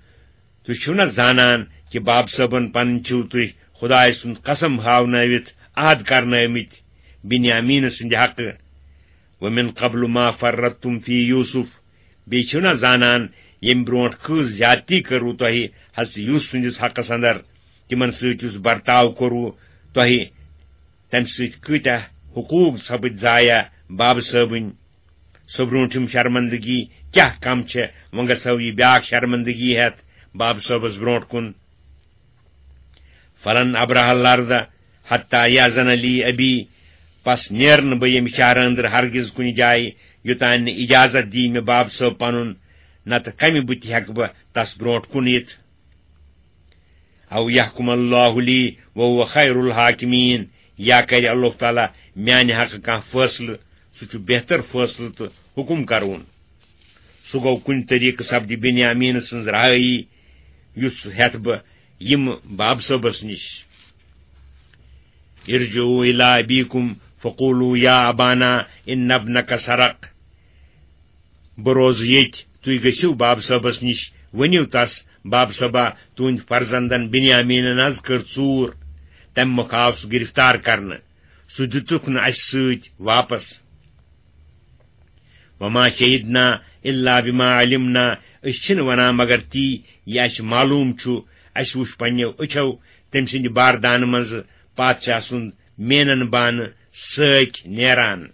تُہۍ چھِو نا زانان کہِ باب صٲبن پنٕنۍ چھِو تُہۍ خدایہِ سُنٛد قسم ہاونٲوِتھ عہد کرنٲومٕتۍ بنیامین سٕنٛدِ حقہٕ؟ ومن قبل ما فرطتم في يوسف، بیٚیہِ چھِو نا زانان ییٚمہِ برونٛٹھ کۭژ زیادتی کٔروٕ تۄہہِ حضرت یوسف سٕنٛدِس حقس اندر، تِمن سۭتۍ یُس برتاو کوٚروٕ تۄہہِ، تمہِ سۭتۍ کۭتیاہ حقوق سپٕدۍ ضایع بابہٕ صٲبٕنۍ۔ سۄ برونٛٹھِم شرمندگی کیاہ کم چھےٚ، وۄنۍ گژھو یہِ بیاکھ شرمندگی ہٮ۪تھ بابہٕ صٲبس برونٛٹھ کُن۔ فلن أبرح الأرض حتى يأذن لي أبي، پس نیرٕ نہٕ بہٕ ییٚمہِ شہرٕ أنٛدرٕ ہرگز کُنہِ جایہِ، یوٚتانۍ نہٕ اجازت دِیہِ مےٚ باب صٲب پنُن، نتہٕ کمہِ بُتھِ ہٮ۪کہٕ بہٕ تس برونٛٹھ کُن یِتھ؟ أو يحكم الله لي وهو خير الحاكمين، یا کرِ اللہ تعالیٰ میانہِ حقہٕ کانٛہہ فٲصلہٕ، سُہ چھُ بہتر فٲصلہٕ تہٕ حُکم کرون۔ سُہ گوٚو کُنہِ طریٖقہٕ سپدِ بنیامین سٕنٛز رہٲیی، یُس ہٮ۪تھ بہٕ یِمہٕ باب صٲبس نِش۔ ارجعوا إلى أبيكم فقولوا يا أبانا إن ابنك سرق۔ بہٕ روزٕ ییٚتہِ، تُہۍ گٔژھِو باب صٲبس نِش، ؤنِو تس، باب صٲبا، تُہنٛدۍ فرزندن بنیامینن حض کٔر ژوٗر، تمہِ مۄکھٕ آو سُہ گرفتار کرنہٕ، سُہ دِتُکھ نہٕ اسہِ سۭتۍ واپس۔ وما شهدنا إلا بما علمنا، أسۍ چھِنہٕ ونان مگر تی یہِ اسہِ معلوم چھُ، اسہِ وُچھ پننیو أچھو تٔمۍ سٕنٛدِ باردانہٕ منٛزٕ پادشاہ سُنٛد مینن بانہٕ سٲکۍ نیران۔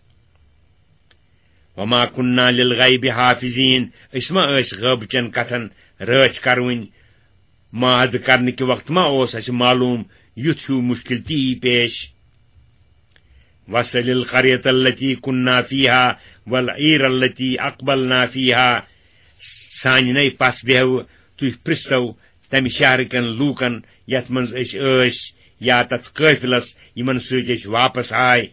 وما كنا للغيب حافظين، أسۍ ما ٲسۍ غٲبہٕ چٮ۪ن کتھن رٲچھ کرونۍ؟ معاہدٕ کرنہٕ کہِ وقتہٕ ما اوس اسہِ معلوم یُتھ ہیوٗ مُشکل تہِ یی پیش؟ واسأل القرية التي كنا فيها والعير التي أقبلنا فيها۔ سانہِ نَے پس بیہوٕ تُہۍ پرٛژھتو تمہِ شہرٕ کٮ۪ن لوٗکن یتھ منٛز أسۍ ٲسۍ، یا تتھ قٲفلس یِمن سۭتۍ أسۍ واپس آے۔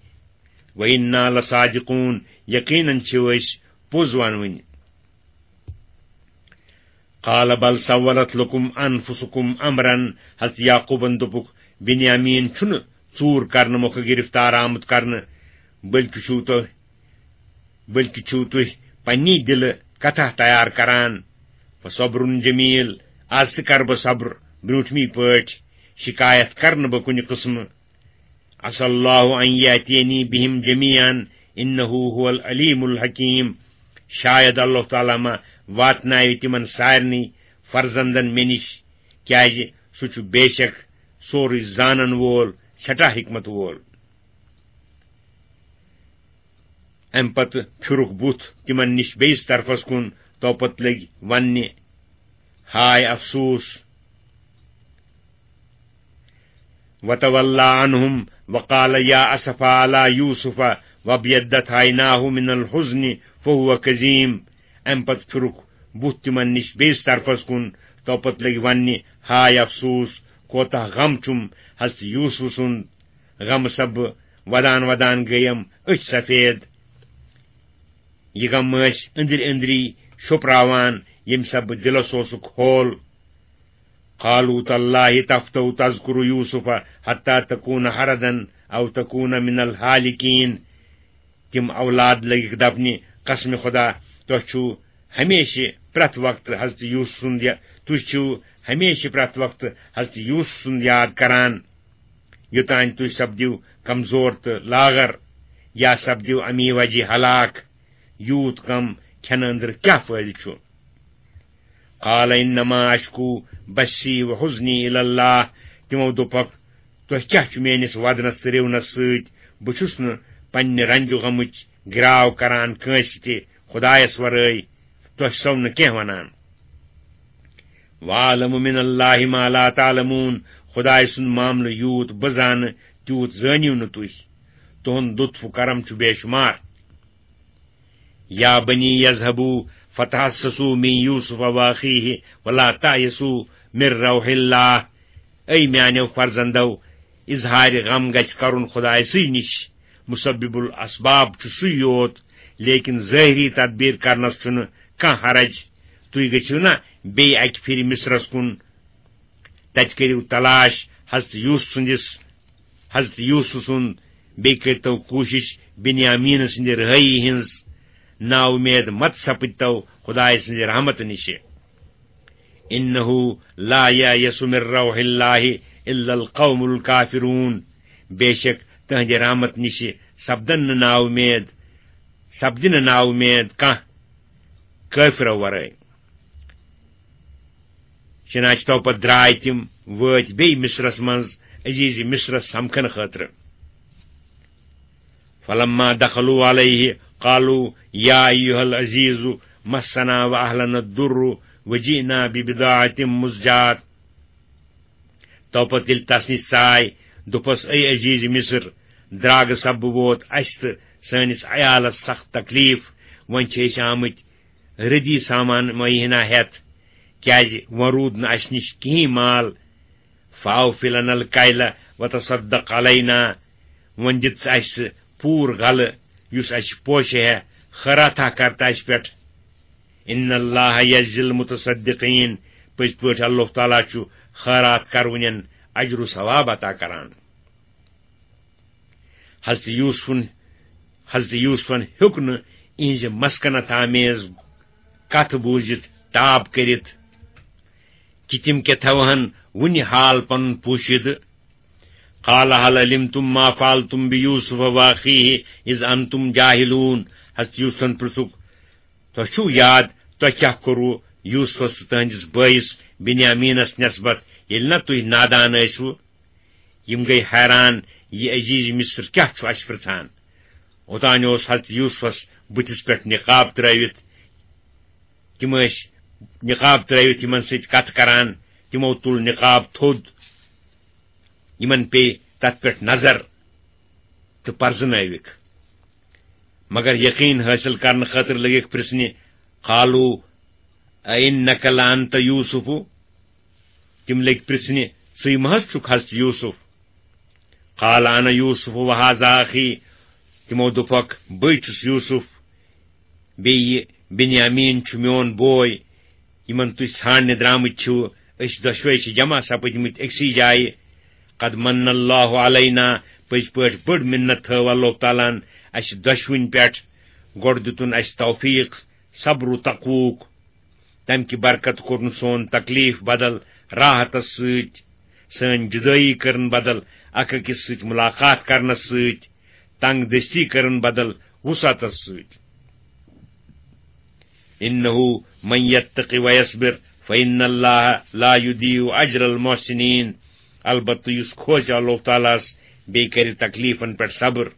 وإنا لصادقون، یقیناً چھِو أسۍ پوٚز ونوٕنۍ۔ قال بل سولت لكم أنفسكم أمرا، حضرت یعقوبن دوٚپُکھ، بنیامین چھُنہٕ ژوٗر کرنہٕ مۄکھٕ گرفتار آمُت کرنہٕ، بلکہِ چھُو تۄہہِ، بلکہِ چھِو تُہۍ پننی دِلہٕ کتھا تیار کران۔ فصبر جمیل، از تہِ کرٕ بہٕ صبر برونٹھمی پٲٹھۍ، شکایت کرٕ نہٕ بہٕ کُنہِ قٕسمہٕ۔ عسى الله أن يأتيني بهم جميعا إنه هو العليم الحكيم۔ شاید اللہ تعالیٰ ما واتناوِ تِمن سارنٕے فرزندن مےٚ نِش، کیازِ سُہ چھُ بے شک سورُے زانن وول، سٮ۪ٹھاہ حکمت وول۔ امہِ پتہٕ پھِرُکھ بُتھ تِمن نِش بیٚیِس طرفس کُن، توپتہٕ لٔگۍ وننہِ، ہاے افسوس! وتولى عنهم وقال يا أسفى على يوسف وابيضت عيناه من الحزن فهو كظيم۔ امہِ پتہٕ پھِرُکھ بُتھ تِمن نِش بیٚیِس طرفس کُن، توپتہٕ لٔگۍ وننہِ، ہاے افسوس! کوتاہ غم چھُم حضرت یوسف سُنٛد! غمہٕ سببہٕ ودان ودان گٔیم أچھ سفید۔ یہِ غم ٲسۍ أنٛدرۍ أنٛدری شوٚپراوان، ییٚمہِ سببہٕ دِلس اوسُکھ ہول۔ قالوا تالله تفتأ تذكر يوسف حتى تكون حردا أو تكون من الهالكين۔ تِم اولاد لٔگِکھ دپنہِ، قسمِ خدا، تۄہہِ چھُو ہمیشہِ پرٛٮ۪تھ وقتہٕ حضرت یوسف سُنٛد یا-، تُہۍ چھِو ہمیشہِ پرٛٮ۪تھ وقتہٕ حضرت یوسف سُنٛد یاد کران، یوٚتانۍ تُہۍ سپدِو کمزور تہٕ لاغر، یا سپدِو امی وجہ ہلاک۔ یوٗت غم کھٮ۪نہٕ أنٛدرٕ کیٛاہ فٲیدٕ چھُ؟ قال إنما أشكو بثي وحزني إلى الله۔ تِمو دوٚپکھ، تۄہہِ کیٛاہ چھُ میٲنِس ودنس تہٕ رِونس سۭتۍ؟ بہٕ چھُس نہٕ پننہِ رنجہِ غمٕچ گراو کران کٲنٛسہِ تہِ خدایس ورٲے، تۄہہِ چھسو نہٕ کینٛہہ ونان۔ وأعلم من الله ما لا تعلمون۔ خدایہِ سُنٛد معاملہٕ یوٗت بہٕ زانہٕ، تیوٗت زٲنِو نہٕ تُہۍ۔ تُہُنٛد لطف و کرم چھُ بے شمار۔ يا بني اذهبوا فتحسسوا من يوسف وأخيه ولا تيأسوا من روح الله۔ اے میانیو فرزندو، اظہار غم گژھِ کرُن خدایسٕے نِش۔ مسبب الاسباب چھُ سُے یوت، لیکن ظٲہری تدبیر کرنس چھُنہٕ کانٛہہ حرج۔ تُہۍ گٔژھِو نا بیٚیہِ اکہِ پھِرِ مصرس کُن، تتہِ کٔرِو تلاش حضرت یوسف سٕنٛدِس، حضرت یوسف سُنٛد، بیٚیہِ کٔرۍتو کوٗشِش بنیامین سٕنٛدِ رہٲیی ہٕنٛز۔ نا اُمید مت سپٕدۍتو خدایہِ سٕنٛزِ رحمتہٕ نِشہِ۔ إنه لا ييأس من روح الله إلا القوم الكافرون۔ بے شک تہنٛدِ رحمت نِشہِ سپدن نہٕ نا اُمید، سپدِ نہٕ نا اُمید کانٛہہ کٲفرو ورٲے۔ چنانچہ تو پتہٕ درٛاے تِم، وٲتۍ بیٚیہِ مصرس منٛز عزیز مصرس سمکھنہٕ خٲطرٕ۔ فلما دخلوا عليه قالوا يا أيها العزيز مسنا وأهلنا الضر وجئنا ببضاعة مزجاة۔ تو پتہٕ ییٚلہِ تس نِش ژاے، دوٚپس، اے عزیز مصر، درٛاگہٕ سببہٕ ووت اسہِ تہٕ سٲنِس عیالس سخت تکلیف، وۄنۍ چھِ أسۍ آمٕتۍ رٔدی سامان معینہ ہٮ۪تھ، کیازِ وۄنۍ روٗد نہٕ اسہِ نِش کِہیٖنۍ مال۔ فأوف لنا الكيل وتصدق علينا، وۄنۍ دِژ اسہِ پوٗرٕ غلہٕ یُس اسہِ پوشہِ ہے، خٲراتھا کر تہٕ اسہِ پٮ۪ٹھ۔ إن الله يجزي المتصدقين، پٔزۍ پٲٹھۍ اللہ تعالیٰ چھُ خٲرات کرونٮ۪ن اجر و ثواب عطا کران۔ حضرت یوسفن، حضرت یوسفن ہیوٚک نہٕ اِہنٛزِ مسکنت آمیز کتھ بوٗزِتھ تاب کٔرِتھ کہِ تِم کیٛاہ تھاوہن وُنہِ حال پنُن پوشیدٕ۔ قال هل علمتم ما فعلتم بيوسف وأخيه إذ أنتم جاهلون۔ حضرت یوسفن پرژھُکھ، تۄہہِ چھُو یاد تۄہہِ کیٛاہ کوٚروٕ یوسفس تہٕ تہنٛدِس بٲیِس بنیامینس نسبت، ییٚلہِ نہ تُہۍ نادان ٲسوٕ؟ یِم گٔے حیران، یہِ عزیز مصر کیٛاہ چھُ اَسہِ پرٛژھان؟ اوٚتانۍ اوس حضرت یوسفس بُتھِس پٮ۪ٹھ نقاب ترٲوِتھ۔ تِم ٲسۍ نقاب ترٲوِتھ یِمن سۭتۍ کتھ کران۔ تِمو تُل نقاب تھوٚد۔ یِمن پیٚیہِ تتھ پٮ۪ٹھ نظر تہٕ پرزنٲوِکھ۔ مگر یقین حٲصِل کرنہٕ خٲطرٕ لٔگِکھ پرژھنہِ، قالوا أئنك لأنت يوسف؟ تِم لٔگۍ پرژھنہِ، ژٕے مہ حض چھُکھ حضرت یوسف؟ قال أنا يوسف وهذا أخي۔ تِمو دوٚپکھ، بٕے چھُس یوسف، بیٚیہِ یہِ بنیامین چھُ میون بوے۔ یِمن تُہۍ ژھانٛڈنہِ درٛامٕتۍ چھِو، أسۍ دۄشوے چھِ جمع سپٕدمٕتۍ أکسٕے جایہِ۔ قد من اللہ علینا، پٔزۍ پٲٹھۍ بٔڑ منت تھٲو اللہ تعالیٰ ہن اَسہِ دۄشوٕنۍ پٮ۪ٹھ۔ گۄڈٕ دیُتُن اَسہِ توفیق، صبر و تقووُک۔ تَمہِ کہِ برکت کوٚرُن سون تکلیف بدل راحتس سۭتۍ، سٲنۍ جدٲیی کٔرٕن بدل اکھ أکِس سۭتۍ ملاقات کرنس سۭتۍ، تنگ دستی کٔرٕن بدل وسعتس سۭتۍ۔ انہ من یتق ویصبر فان اللہ لا یضیع اجر المحسنین۔ البتہ یُس کھوژِ اللہ تعالیٰ ہس، بیٚیہِ کرِ تکلیفن پٮ۪ٹھ صبر،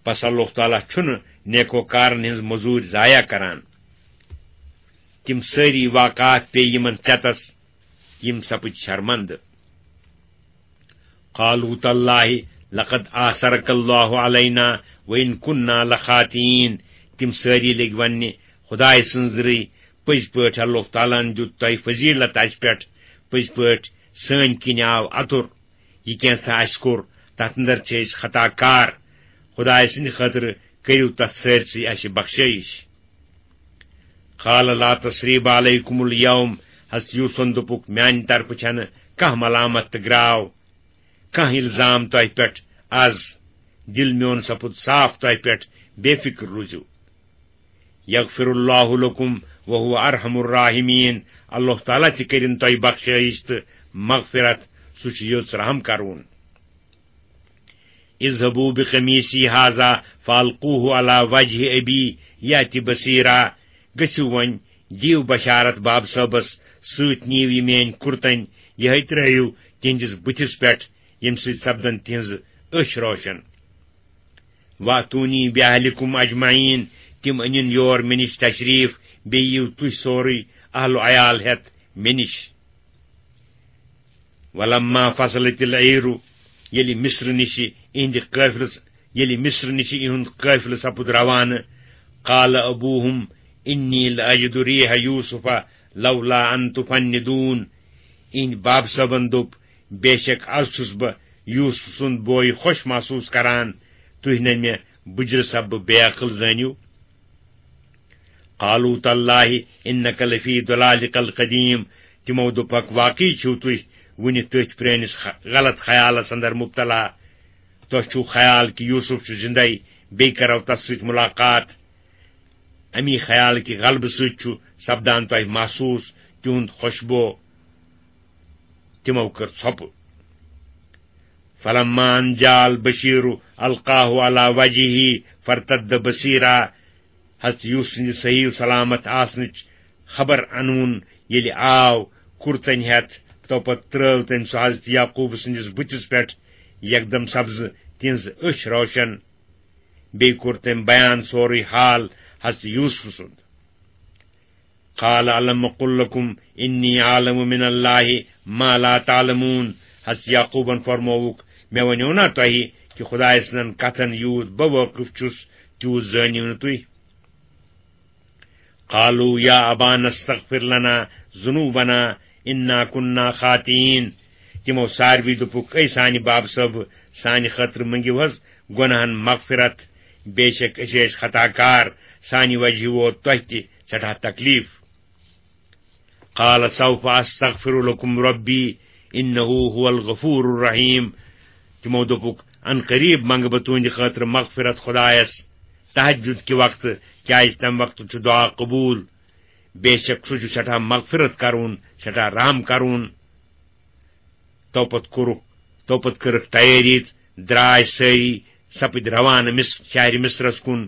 پس اللہ تعالیٰ چھُنہٕ نیکوکارن ہٕنٛز مزوٗرۍ ضایع کران۔ تِم سٲری واقعات پیٚیہِ یِمن ژٮ۪تس، یِم سپٕدۍ شرمندٕ۔ قالوا تاللہ لقد آثرک اللہ علینا وان کنا لخاطئین۔ تِم سٲری لٔگۍ وننہِ، خدایہِ سٕنٛز رٕے، پٔزۍ پٲٹھۍ اللہ تعالیٰ ہن دیُت تۄہہِ فضیلت اَسہِ پٮ۪ٹھ، پٔزۍ پٲٹھۍ سٲنۍ کِنۍ آو اَتُر۔ یہِ کینٛژھا اَسہِ کوٚر، تَتھ اندر چھِ أسۍ خطا کار۔ خدایہِ سٕنٛدِ خٲطرٕ کٔرِو تَتھ سٲرسٕے اَسہِ بخشٲیِش۔ قال لا تثریب علیکم الیوم، حضرت یوسفن دوٚپُکھ، میانہِ طرفہٕ چھَنہٕ کانٛہہ ملامت تہٕ گراو، کانٛہہ الزام تۄہہِ پٮ۪ٹھ از۔ دل میون سپُد صاف تۄہہِ پٮ۪ٹھ، بے فکر روٗزِو۔ یغفر اللہ لکم وہو ارحم الراحمین، اللہ تعالیٰ تہِ کٔرِن تۄہہِ بخشٲیِش تہٕ مغفرت، سُہ چھُ یٔژ رحم کرون۔ اذهبوا بقمیصی هذا فالقوه علی وجه ابی یأت بصیرا۔ گٔژھِو وۄنۍ، دِیِو بشارت باب صٲبس، سۭتۍ نِیِو یہِ میٲنۍ کُرتن، یِہے ترٲیِو تِہنٛدِس بٕتھِس پٮ۪ٹھ، ییٚمہِ سۭتۍ سپدن تِہنٛزٕ أچھ روشن۔ واتونی باہلکم اجمعین، تِم أنِن یور مےٚ نِش تشریف، بیٚیہِ یِیِو تُہۍ سورُے اہل و عیال ہٮ۪تھ مےٚ نِش۔ ولما فصلت العیر، ییٚلہِ مصر نِشہِ اِہنٛدِ قٲفلس، ییٚلہِ مصر نِشہِ اِہُنٛد قٲفلہٕ سپُد روانہٕ، قال ابوہم انی لاجد ریح یوسف لولا ان تفندون، اِہنٛدِ باب صٲبن دوٚپ، بے شک از چھُس بہٕ یوسف سُنٛد بوے خۄش محسوٗس کران، تُہۍ نہ مےٚ بُجرٕ سببہٕ بے عقل زٲنِو۔ قالوا تاللہ انک لفی ضلالک القدیم، تِمو دوٚپکھ، واقعی چھِو تُہۍ وُنہِ تٔتھۍ پرٲنِس خ-، غلط خیالس اندر مبتلا۔ تۄہہِ چھُو خیال کہِ یوسف چھُ زندے، بیٚیہِ کرو تس سۭتۍ ملاقات۔ امی خیال کہِ غلبہٕ سۭتۍ چھُ سپدان تۄہہِ محسوٗس تِہُنٛد خوشبو۔ تِمو کٔر ژھۄپہٕ۔ فلما ان جاء البشیر القاہ علی وجهه فارتد بصیرا۔ حضرت یوسف سٕنٛدِ صحیح و سلامت آسنٕچ خبر انوُن ییٚلہِ آو، کُرتن ہٮ۪تھ، تو پتہٕ ترٲو تٔمۍ سُہ حضرت یعقوب سٕنٛدِس بُتھِس پٮ۪ٹھ یکدم سبزٕ تِہنٛز أچھ روشن۔ بیٚیہِ کوٚر تٔمۍ بیان سورُے حال حضرت یوسف سُنٛد۔ قال الم اقل لکم انی اعلم من اللہ ما لا تعلمون۔ حضرت یعقوبن فرمووُکھ، مےٚ ونیو نا تۄہہِ کہِ خدایہِ سٕنٛزن کتھن یوٗت بہٕ وٲقف چھُس، تیوٗت زٲنِو نہٕ تُہۍ۔ قالوا یا ابانا استغفر لنا ذنوبنا انا کنا خاطئین۔ تِمو ساروی دوٚپُکھ، اے سانہِ باب صٲب، سانہِ خٲطرٕ مٔنگِو حض گۄناہن مغفرت، بے شک أسۍ ٲسۍ خطا کار، سانہِ وجہ ووت تۄہہِ تہِ سٮ۪ٹھاہ تکلیف۔ قال سوف استغفر لکم ربی انہ هو الغفور الرحیم۔ تِمو دوٚپُکھ، ان قریب منگہٕ بہٕ تُہنٛدِ خٲطرٕ مغفرت خدایس تہجد کہِ وقتہٕ، کیازِ تمہِ وقتہٕ چھُ دعا قبول۔ بے شک سُہ چھُ سٮ۪ٹھاہ مغفرت کرون، سٮ۪ٹھاہ رحم کرون۔ تو پتہٕ کوٚرُکھ، تو پتہٕ کٔرٕکھ تیٲری، درٛاے سٲری، سپٕدۍ روانہٕ مص-، شہرِ مصرس کُن۔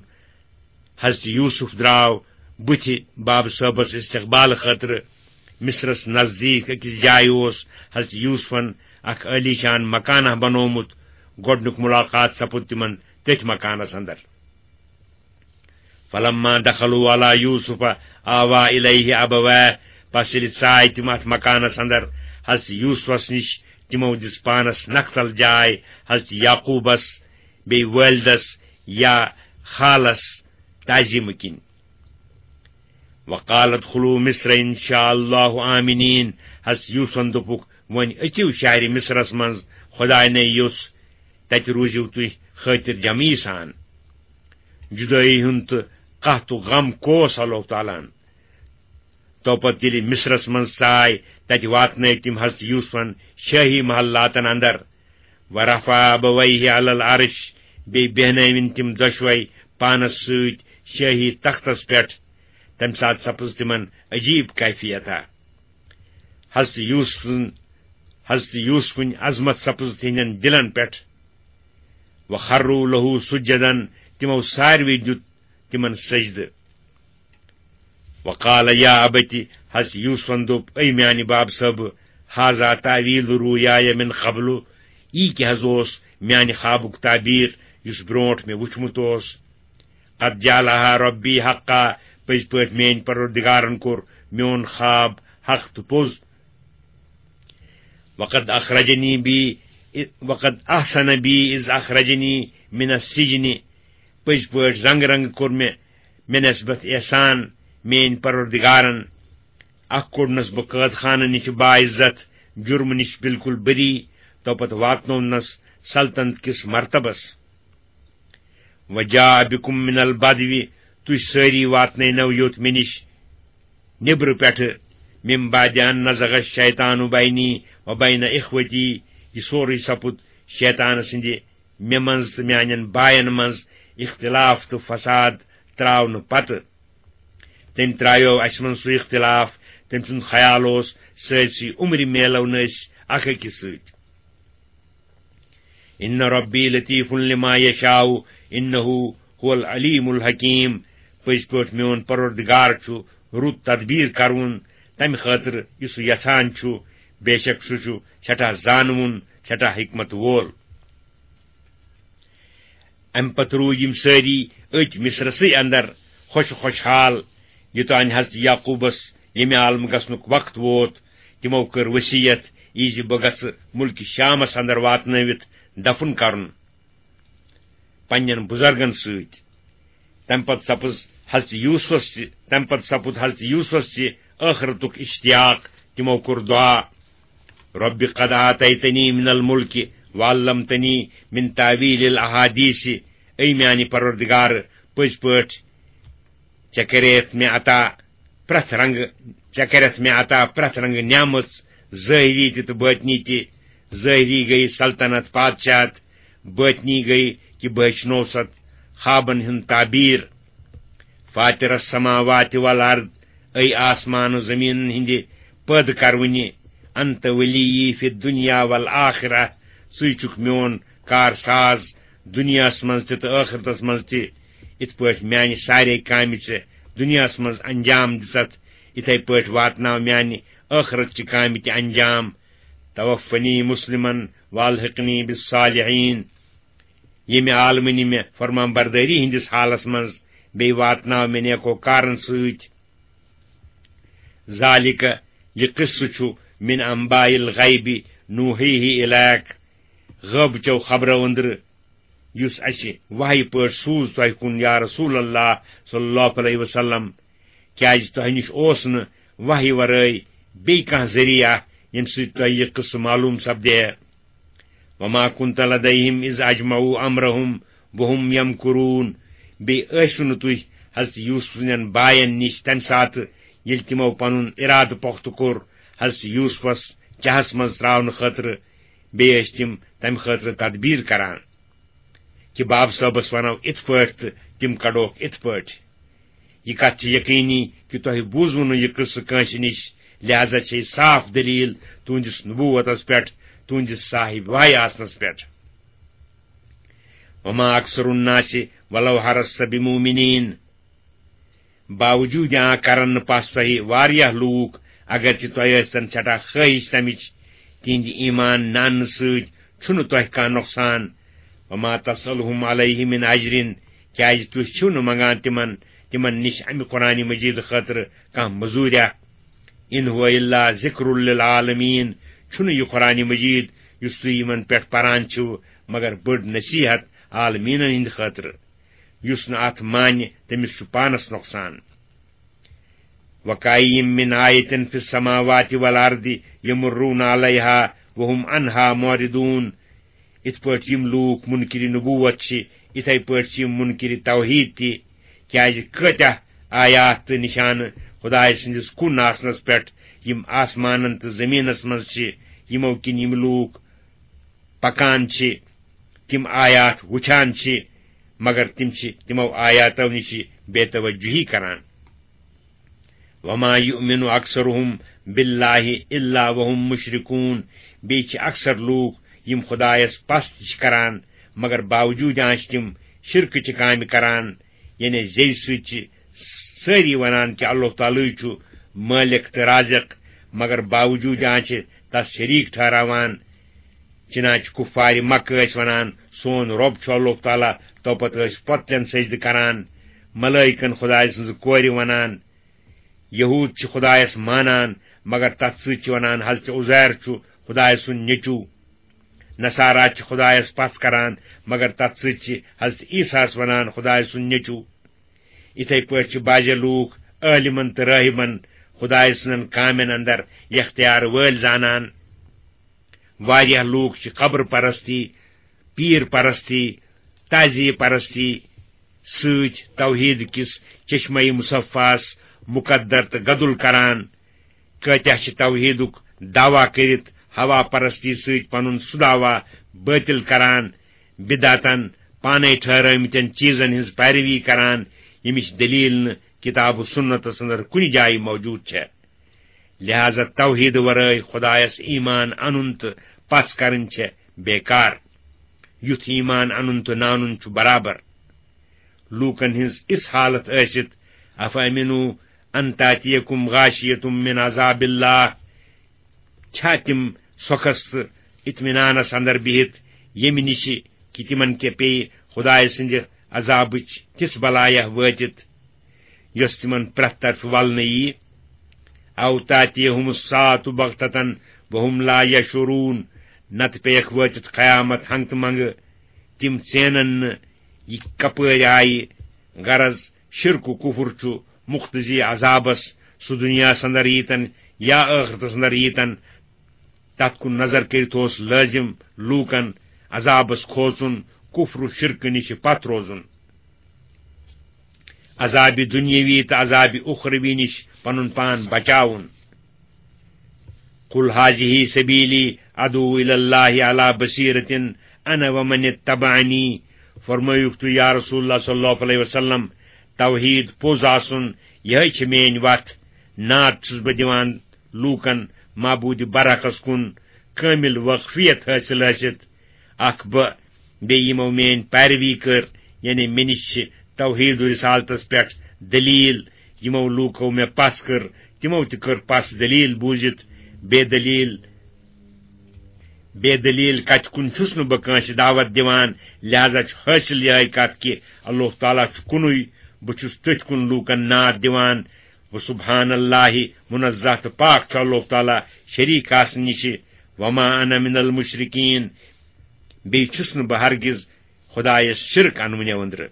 حضرت یوسف درٛاو بُتھِ بابہٕ صٲبس استقبال خٲطرٕ۔ مصرس نزدیٖک أکِس جایہِ اوس حضرت یوسفن اکھ عٲلیشان مکانہ بنوومُت۔ گۄڈنیُک ملاقات سپُد تِمن تٔتھۍ مکانس اندر۔ فلما دخلوا علی یوسف آوا الیہ ابویہ، پس ییٚلہِ ژاے تِم اتھ مکانس اندر حضرت یوسفس نِش، تِمو دِژ پانس نکھتل جاے حضرت یعقوبس، بیٚیہِ والدس یا خالس تعظیمہٕ کِنۍ۔ وقال ادخلوا مصر ان شاء اللہ آمنین، حضرت یوسفن دوٚپُکھ، وۄنۍ أژِو شہرِ مصرس منٛز، خداے نے یوٚژھ، تتہِ روٗزِو تُہۍ خٲطر جمعی سان۔ جدٲیی ہُنٛد تہٕ قحطُک غم کوس اللہ تعالیٰ ہن۔ تو پتہٕ ییٚلہِ مصرس منٛز ژاے، تتہِ واتنٲے تِم حضرت یوسفن شٲہی محلاتن اندر۔ ورفع ابویہ علی العرش، بیٚیہِ بیہنٲوِن تِم دۄشوے پانس سۭتۍ شٲہی تختس پٮ۪ٹھ۔ تمہِ ساتہٕ سپٕز تِمن عجیب کیفیتا۔ حضرت یوسف سٕنٛز، حضرت یوسفٕنۍ عظمت سپٕز تِہنٛدٮ۪ن دِلن پٮ۪ٹھ۔ وخروا لہ سجدا، تِمو ساروٕے دیُت تِمن سجدٕ۔ وقال یا ابت، حضرت یوسفن دوٚپ، اے میانہِ باب صٲب، ھذا تعویل رؤیای من قبل، یی کیٛاہ حض اوس میانہِ خوابُک تعبیر یُس برونٹھ مےٚ وُچھمُت اوس۔ قد جعلها ربی حقا، پٔزۍ پٲٹھۍ میٲنۍ پروردگارن کوٚر میون خواب حق تہٕ پوٚز۔ وقد اخرجنی بی، وقد احسن بی اذ اخرجنی من السجن، پٔزۍ پٲٹھۍ رنگ رنگ کوٚر مےٚ مےٚ نسبت احسان میٲنۍ پروردگارن۔ اکھ کوٚڑنس بہٕ قٲد خانہٕ نِش باعزت، جرمہٕ نِش بالکل بری، تو پتہٕ واتنوونس سلطنت کِس مرتبس۔ وجاء بكم من البدو، تُہۍ سٲری واتنٲینو یوٚت مےٚ نِش نیٚبرٕ پٮ۪ٹھٕ۔ من بعد ان نزغ الشیطان بینی وبین اخوتی، یہِ سورُے سپُد شیطان سٕنٛدِ مےٚ منٛز تہٕ میانٮ۪ن باین منٛز اختلاف تہٕ فساد تراونہٕ پتہٕ۔ تٔمۍ ترایو اسہِ منٛز سُہ اختلاف، تٔمۍ سُنٛد خیال اوس سٲرسٕے عمرِ میلو نہٕ أسۍ اکھ أکِس سۭتۍ۔ ان ربی لطیف لما یشاء، انہ هو العلیم الحکیم۔ پٔزۍ پٲٹھۍ میون پروردگار چھُ رُت تدبیر کرون تمہِ خٲطرٕ یُس سُہ یژھان چھُ، بے شک سُہ چھُ سٮ۪ٹھاہ زانوُن، سٮ۪ٹھاہ حکمت وول۔ امہِ پتہٕ روٗدۍ یِم سٲری أتۍ مصرسٕے اندر خۄش خۄشحال، یوٚتانۍ حضرت یعقوبس ییٚمہِ عالمہٕ گژھنُک وقت ووت۔ تِمو کٔر وصیت، یہِ زِ بہٕ گژھٕ مُلکہِ شامس اندر واتنٲوِتھ دفن کرُن پننٮ۪ن بُزرگن سۭتۍ۔ تمہِ پتہٕ سپُز حضرت یوسفس تہِ، تمہِ پتہٕ سپُد حضرت یوسفس تہِ ٲخرتُک اشتیاق۔ تِمو کوٚر دعا، رب قد آتیتنی من الملک وعلمتنی من تاویل الاحادیث، اے میانہِ پروردگار، پٔزۍ پٲٹھۍ ژےٚ کریتھ مےٚ عطا پرٛٮ۪تھ رنگہٕ، ژےٚ کریتھ مےٚ عطا پرٛٮ۪تھ رنگہٕ نعمژ، ظٲہری تہِ تہٕ باطنی تہِ۔ ظٲہری گٔیہِ سلطنت، پادشاہت، باطنی گٔیہِ کہِ بہٕ ہیٚچھنووس اتھ خوابن ہُنٛد تعبیر۔ فاطر السماوات والارض، اے آسمان و زمینن ہٕنٛدِ پٲدٕ کرونہِ، انت ولی فی الدنیا والآخرہ، ژٕے چھُکھ میون کار ساز دُنیاہس منٛز تہِ تہٕ ٲخرتس منٛز تہِ۔ یِتھ پٲٹھۍ میانہِ سارے کامہِ ژےٚ دُنیاہس منٛز انجام دِژتھ، یِتھے پٲٹھۍ واتناو میانہِ ٲخرت چہِ کامہِ تہِ انجام۔ توفنی مسلمن والحقنی بالصالحین۔ ییٚمہِ عالمہٕ نہِ مےٚ فرمان بردٲری ہٕنٛدِس حالس منٛز، بیٚیہِ واتناو مےٚ نیکو کارن سۭتۍ۔ ذالک، یہِ قصہٕ چھُ، من انباء الغیب نوحیہ الیک، غٲبہٕ چیو خبرو أنٛدرٕ، یُس اَسہِ وحی پٲٹھۍ سوٗز تۄہہِ کُن، یا رسول اللہ صلی اللہ علیہ وسلم، کیازِ تۄہہِ نِش اوس نہٕ وحی ورٲے بیٚیہِ کانٛہہ ذٔریعہٕ، ییٚمہِ سۭتۍ تۄہہِ یہِ قصہٕ معلوم سپدِ ہے۔ وما كنت لديهم إذ أجمعوا أمرهم وهم يمكرون۔ بیٚیہِ ٲسِو نہٕ تُہۍ حضرت یوسف سٕنٛدٮ۪ن باین نِش تَمہِ ساتہٕ، ییٚلہِ تِمو پنُن اِرادٕ پۄختہٕ کوٚر حضرت یوسفس چاہس منٛز ترٛاونہٕ خٲطرٕ۔ بیٚیہِ ٲسۍ تِم تَمہِ خٲطرٕ تدبیٖر کران۔ کہِ باب صٲبس ونو اِتھ پٲٹھۍ تہٕ تِم کڑوکھ اِتھ پٲٹھۍ۔ یہِ کتھ چھِ یقینی کہِ تۄہہِ بوٗزوٕ نہٕ یہِ قصہٕ کٲنٛسہِ نِش، لہذا چھے صاف دلیل تُہنٛدِس نبوتس پٮ۪ٹھ، تُہنٛدِس صاحب وحی آسنس پٮ۪ٹھ۔ وما اکثر الناس ولو حرصت بمؤمنین۔ باوجود آ کرن نہٕ پس تۄہہِ واریاہ لوٗکھ، اگرچہِ تۄہہِ ٲسۍتن سٮ۪ٹھاہ خٲہِش تمِچ، تِہنٛدِ ایمان نانہٕ سۭتۍ چھُنہٕ تۄہہِ کانٛہہ نۄقصان۔ وما تسألهم علیہ من اجر، کیازِ تُہۍ چھِو نہٕ منگان تِمن، تِمن نِش امہِ قرآن مجید خٲطرٕ کانٛہہ مزوٗریا۔ ان هو الا ذکر للعالمین، چھُنہٕ یہِ قرآن مجید یُس تُہۍ یِمن پٮ۪ٹھ پران چھِو مگر بٔڑ نصیحت عالمیٖنن ہٕنٛدِ خٲطرٕ۔ یُس نہٕ اتھ مانہِ، تٔمِس چھُ پانس نۄقصان۔ وکاین من آیتن فی السماوات والارض یمرون علیہا وہم عنہا معرضون۔ یِتھ پٲٹھۍ یِم لوٗکھ منکر نبوت چھِ، یِتھے پٲٹھۍ چھِ یِم منکر توحید تہِ۔ کیازِ کۭتیاہ آیات تہٕ نشانہٕ خدایہِ سٕنٛدِس کُن آسنس پٮ۪ٹھ، یِم آسمانن تہٕ زٔمیٖنس منٛز چھِ، یِمو کِنۍ یِم لوٗکھ پکان چھِ، تِم آیات وُچھان چھِ، مگر تِم چھِ تِمو آیاتو نِش بے توجہی کران۔ وما یؤمن اکثرهم باللہ الا وهم مشرکون۔ بیٚیہِ چھِ اکثر لوٗکھ، یِم خدایس پس تہِ چھِ کران، مگر باوجوٗد آنچہِ تِم شرکٕچہِ کامہِ کران، یعنی زیٚیہِ سۭتۍ چھِ سٲری ونان کہِ اللہ تعالیٰ چھُ مٲلِک تہٕ رازق، مگر باوجوٗد آنچہِ تس شریٖک ٹھہراوان۔ چنانچہ کفار مکہ ٲسۍ ونان، سون رۄب چھُ اللہ تعالیٰ، تو پتہٕ ٲسۍ پۄتلٮ۪ن سجدٕ کران، ملٲیکن خدایہِ سٕنٛزٕ کورِ ونان۔ یہود چھِ خدایس مانان، مگر تتھ سۭتۍ چھِ ونان حضرت عزیر چھُ خدایہِ سُنٛد نیٚچو۔ نصارا چھِ خدایس پس کران، مگر تتھ سۭتۍ چھِ حضرت عیسیٰ ہس ونان خدایہِ سُنٛد نیٚچو۔ یِتھے پٲٹھۍ چھِ بعضے لوٗکھ عٲلمن تہٕ رٲہبن خدایہِ سٕنٛزن کامٮ۪ن اندر یختیار وٲلۍ زانان۔ واریاہ لوٗکھ چھِ قبر پرستی، پیٖر پرستی، تعزیہ پرستی سۭتۍ توحید کِس چشمہ مصفاس مقدر تہٕ گدُل کران۔ کٲتیاہ چھِ توحیدُک دعویٰ کٔرِتھ ہوا پرستی سۭتۍ پنُن سُہ دعویٰ بٲطل کران، بدعتن، پانے ٹھہرٲومٕتٮ۪ن چیٖزن ہٕنٛز پیروی کران، ییٚمِچ دلیل نہٕ کتاب و سنتس اندر کُنہِ جایہِ موجود چھےٚ۔ لہذا توحید ورٲے خدایس ایمان انُن تہٕ پس کرٕنۍ چھےٚ بیکار۔ یُتھ ایمان انُن تہٕ نہ انُن چھُ برابر۔ لوٗکن ہٕنٛز اِژھ حالت ٲسِتھ، افامنوا ان تاتیکم غاشیۃ من عذاب اللہ، چھا تِم سۄکھس تہٕ اطمینانس اندر بِہِتھ، ییٚمہِ نِش کہِ تِمن کیٛاہ پیٚیہِ خدایہِ سٕنٛدِ عذابٕچ تِژھ بلایہ وٲتِتھ، یۄس تِمن پرٛٮ۪تھ طرفہٕ ولنہٕ ییہِ؟ او تاتیہم الساعۃ بغتۃ وہم لا یشعرون، نتہٕ پیٚیَکھ وٲتِتھ قیامت ہنگہٕ تہٕ منگہٕ، تِم ژینن نہٕ یہِ کپٲرۍ آیہِ۔ غرض، شرک و کفر چھُ مقتضی عذابس، سُہ دنیاہس اندر ییٖتن یا ٲخرتس اندر ییٖتن۔ تتھ کُن نظر کٔرِتھ اوس لٲزم لوٗکن عذابس کھوژُن، کفر و شرکہٕ نِش پتھ روزُن، عذابِ دنیاوی تہٕ عذابِ اخروی نِش پنُن پان بچاوُن۔ قل هذه سبيلي ادعو الى الله على بصيرة انا ومن اتبعني۔ فرمٲیُکھ تُہۍ یا رسول اللہ صلی اللہ علیہ وسلم، توحید پوٚز آسُن، یِہے چھِ میٲنۍ وتھ۔ نعت چھُس بہٕ دِوان لوٗکن معبوٗدِ برحقس کُن کٲمِل وٲقفیت حٲصِل ٲسِتھ۔ اکھ بہٕ، بیٚیہِ یِمو میٲنۍ پیروی کٔر، یعنی مےٚ نِش چھِ توحید و رسالتس پٮ۪ٹھ دلیل، یِمو لوٗکو مےٚ پس کٔر، تِمو تہِ کٔر پس دلیل بوٗزِتھ۔ بے دلیل، بے دلیل کتہِ کُن چھُس نہٕ بہٕ کٲنٛسہِ دعوت دِوان، لہذا چھُ حٲصِل یِہے کتھ کہِ اللہ تعالیٰ چھُ کُنُے، بہٕ چھُس تٔتھۍ کُن لوٗکن نعت دِوان۔ و سبحان اللہ، منزہ تہٕ پاک چھُ اللہ تعالیٰ شریٖک آسنہٕ نِش۔ وما انا من المشرکین، بیٚیہِ چھُس نہٕ بہٕ ہرگز خدایس شرک انوٕنیو أنٛدرٕ۔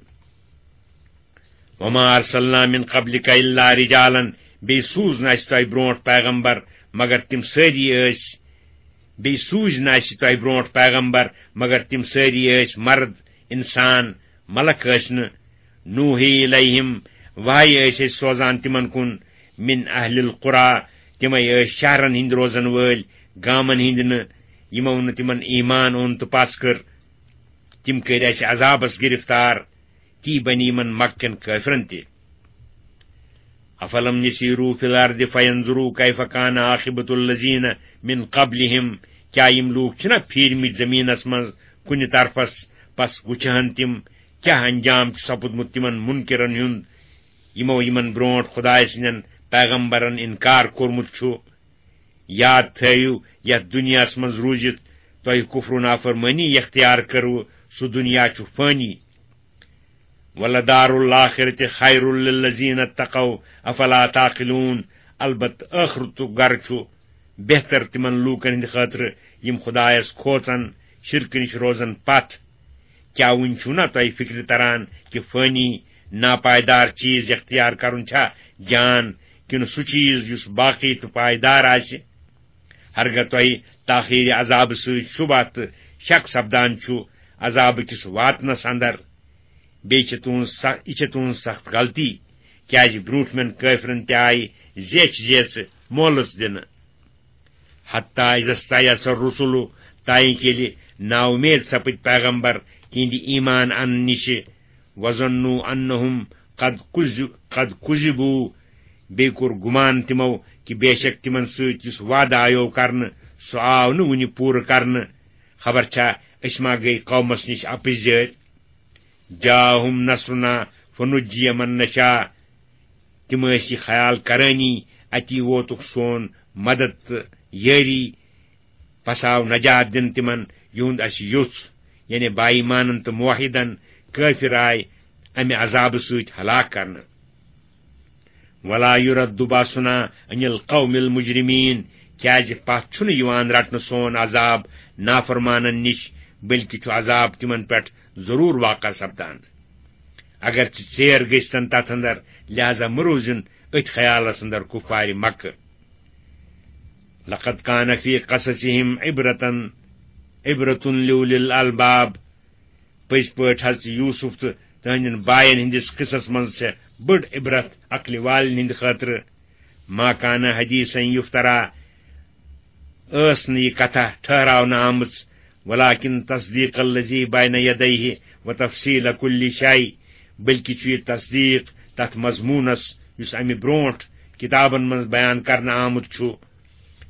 وما ارسلنا من قبلک الا رجالا، بیٚیہِ سوٗز نہٕ اسہِ تۄہہِ برونٛٹھ پیغمبر مگر تِم سٲری ٲسۍ، بیٚیہِ سوٗزۍ نہٕ اسہِ تۄہہِ برونٛٹھ پیغمبر مگر تِم سٲری ٲسۍ مرد، انسان، ملک ٲسۍ نہٕ۔ نوحی الیہم، وحی ٲسۍ أسۍ سوزان تِمن کُن، من اہل القری، تِمے ٲسۍ شہرن ہٕنٛدۍ روزن وٲلۍ، گامن ہٕنٛدۍ نہٕ، یِمو نہٕ تِمن ایمان اوٚن تہٕ پس کٔر۔ تِم کٔرۍ اسہِ عذابس گرفتار، تی بنی یِمن مکہ کٮ۪ن کٲفرن تہِ۔ افلم یسیروا فی الارض فینظروا کیف کان عاقبۃ الذین من قبلہم، کیا یِم لوٗکھ چھِنہ پھیٖرمٕتۍ زٔمیٖنس منٛز کُنہِ طرفس، پس وٕچھہن تِم کیٛاہ انجام چھُ سپُدمُت تِمن منکرن ہُنٛد، یِمو یِمن برونٛٹھ خدایہِ سٕنٛدٮ۪ن پیغمبرن انکار کوٚرمُت چھُ؟ یاد تھٲیِو، یتھ دُنیاہس منٛز روٗزِتھ تۄہہِ کفر و نافرمٲنی اختیار کٔروٕ، سُہ دُنیا چھُ فٲنی۔ ولدار الآخرۃ خیر للذین اتقوا افلا تعقلون، البتہ ٲخرتُک گرٕ چھُ بہتر تِمن لوٗکن ہٕنٛدِ خٲطرٕ، یِم خدایس کھوژن، شرکہٕ نِش روزن پتھ۔ کیا وُنہِ چھُو نا تۄہہِ فکرِ تران کہِ فٲنی، ناپائیدار چیز اختیار کرُن چھا جان، کِنہٕ سُہ چیز یُس باقی تہٕ پائیدار آسہِ؟ ہرگاہ تۄہہِ تاخیر عذابہٕ سۭتۍ شبہ تہٕ شک سپدان چھُ عذابہٕ کِس واتنس اندر، بیٚیہِ چھِ تُہنٛز سخ-، یہِ چھِ تُہنٛز سخت غلطی، کیازِ برونٛٹھمٮ۪ن کٲفرن تہِ آیہِ زیچھ زیژ مۄلٕژ دِنہٕ۔ حتیٰ اذا استیأس الرسل، تائیں کہ ییٚلہِ نااُمید سپٕدۍ پیغمبر تِہنٛدِ ایمان انہٕ نِشہِ، وظنوا انہم قد کذ-، قد کذبوا، بیٚیہِ کوٚر گُمان تِمو کہِ بے شک تِمن سۭتۍ یُس وعدٕ آیو کرنہٕ، سُہ آو نہٕ وُنہِ پوٗرٕ کرنہٕ۔ خبر چھا أسۍ ما گٔے قومس نِش اپٕزۍ جٲرۍ؟ جاءہم نصرنا فنجی من نشاء۔ تِم ٲسۍ یہِ خیال کرٲنی، اتی ووتُکھ سون مدد تہٕ یٲری، پس آو نجات دِنہٕ تِمن، یِہُنٛد اَسہِ یوٚژھ، یعنی با ایمانن تہٕ موحدن، کٲفر آے امہِ عذابہٕ سۭتۍ ہلاک کرنہٕ۔ ولا یرد باسنا عن القوم المجرمین، کیازِ پتھ چھُنہٕ یِوان رٹنہٕ سون عذاب نافرمانن نِش، بلکہِ چھُ عذاب تِمن پٮ۪ٹھ ضروٗر واقع سپدان۔ اگرچہِ ژیر گٔژھتن تتھ اندر، لہذا مہٕ روٗزِن أتھۍ خیالس اندر کفارِ مکہ۔ لقد کان فی قصصہم عبرتن، عبرة لأولی الالباب۔ پٔزۍ پٲٹھۍ حضرت یوسف تہٕ تہنٛدٮ۪ن باین ہٕنٛدِس قصس منٛز چھےٚ بٔڑ عبرت عقلہِ والٮ۪ن ہٕنٛدِ خٲطرٕ۔ ما کان حدیثا یفترا، ٲس نہٕ یہِ کتھا ٹھہراونہٕ آمٕژ، ولکن تصدیق الذی بین یدیہ و تفصیل کل شیء، بلکہِ چھُ یہِ تصدیق تتھ مضموٗنس یُس امہِ برونٹھ کتابن منٛز بیان کرنہٕ آمُت چھُ،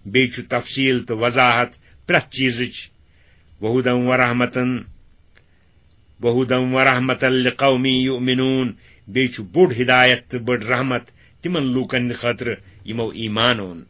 بیٚیہِ چھُ تفصیل تہٕ وضاحت پرٛٮ۪تھ چیزٕچ۔ وہدی و رحمتن، وہدی و رحمتن لقوم یؤمنون، بیٚیہِ چھُ بوٚڑ ہدایت تہٕ بٔڑ رحمت تِمن لوٗکن ہٕنٛدِ خٲطرٕ یِمو ایمان اوٚن۔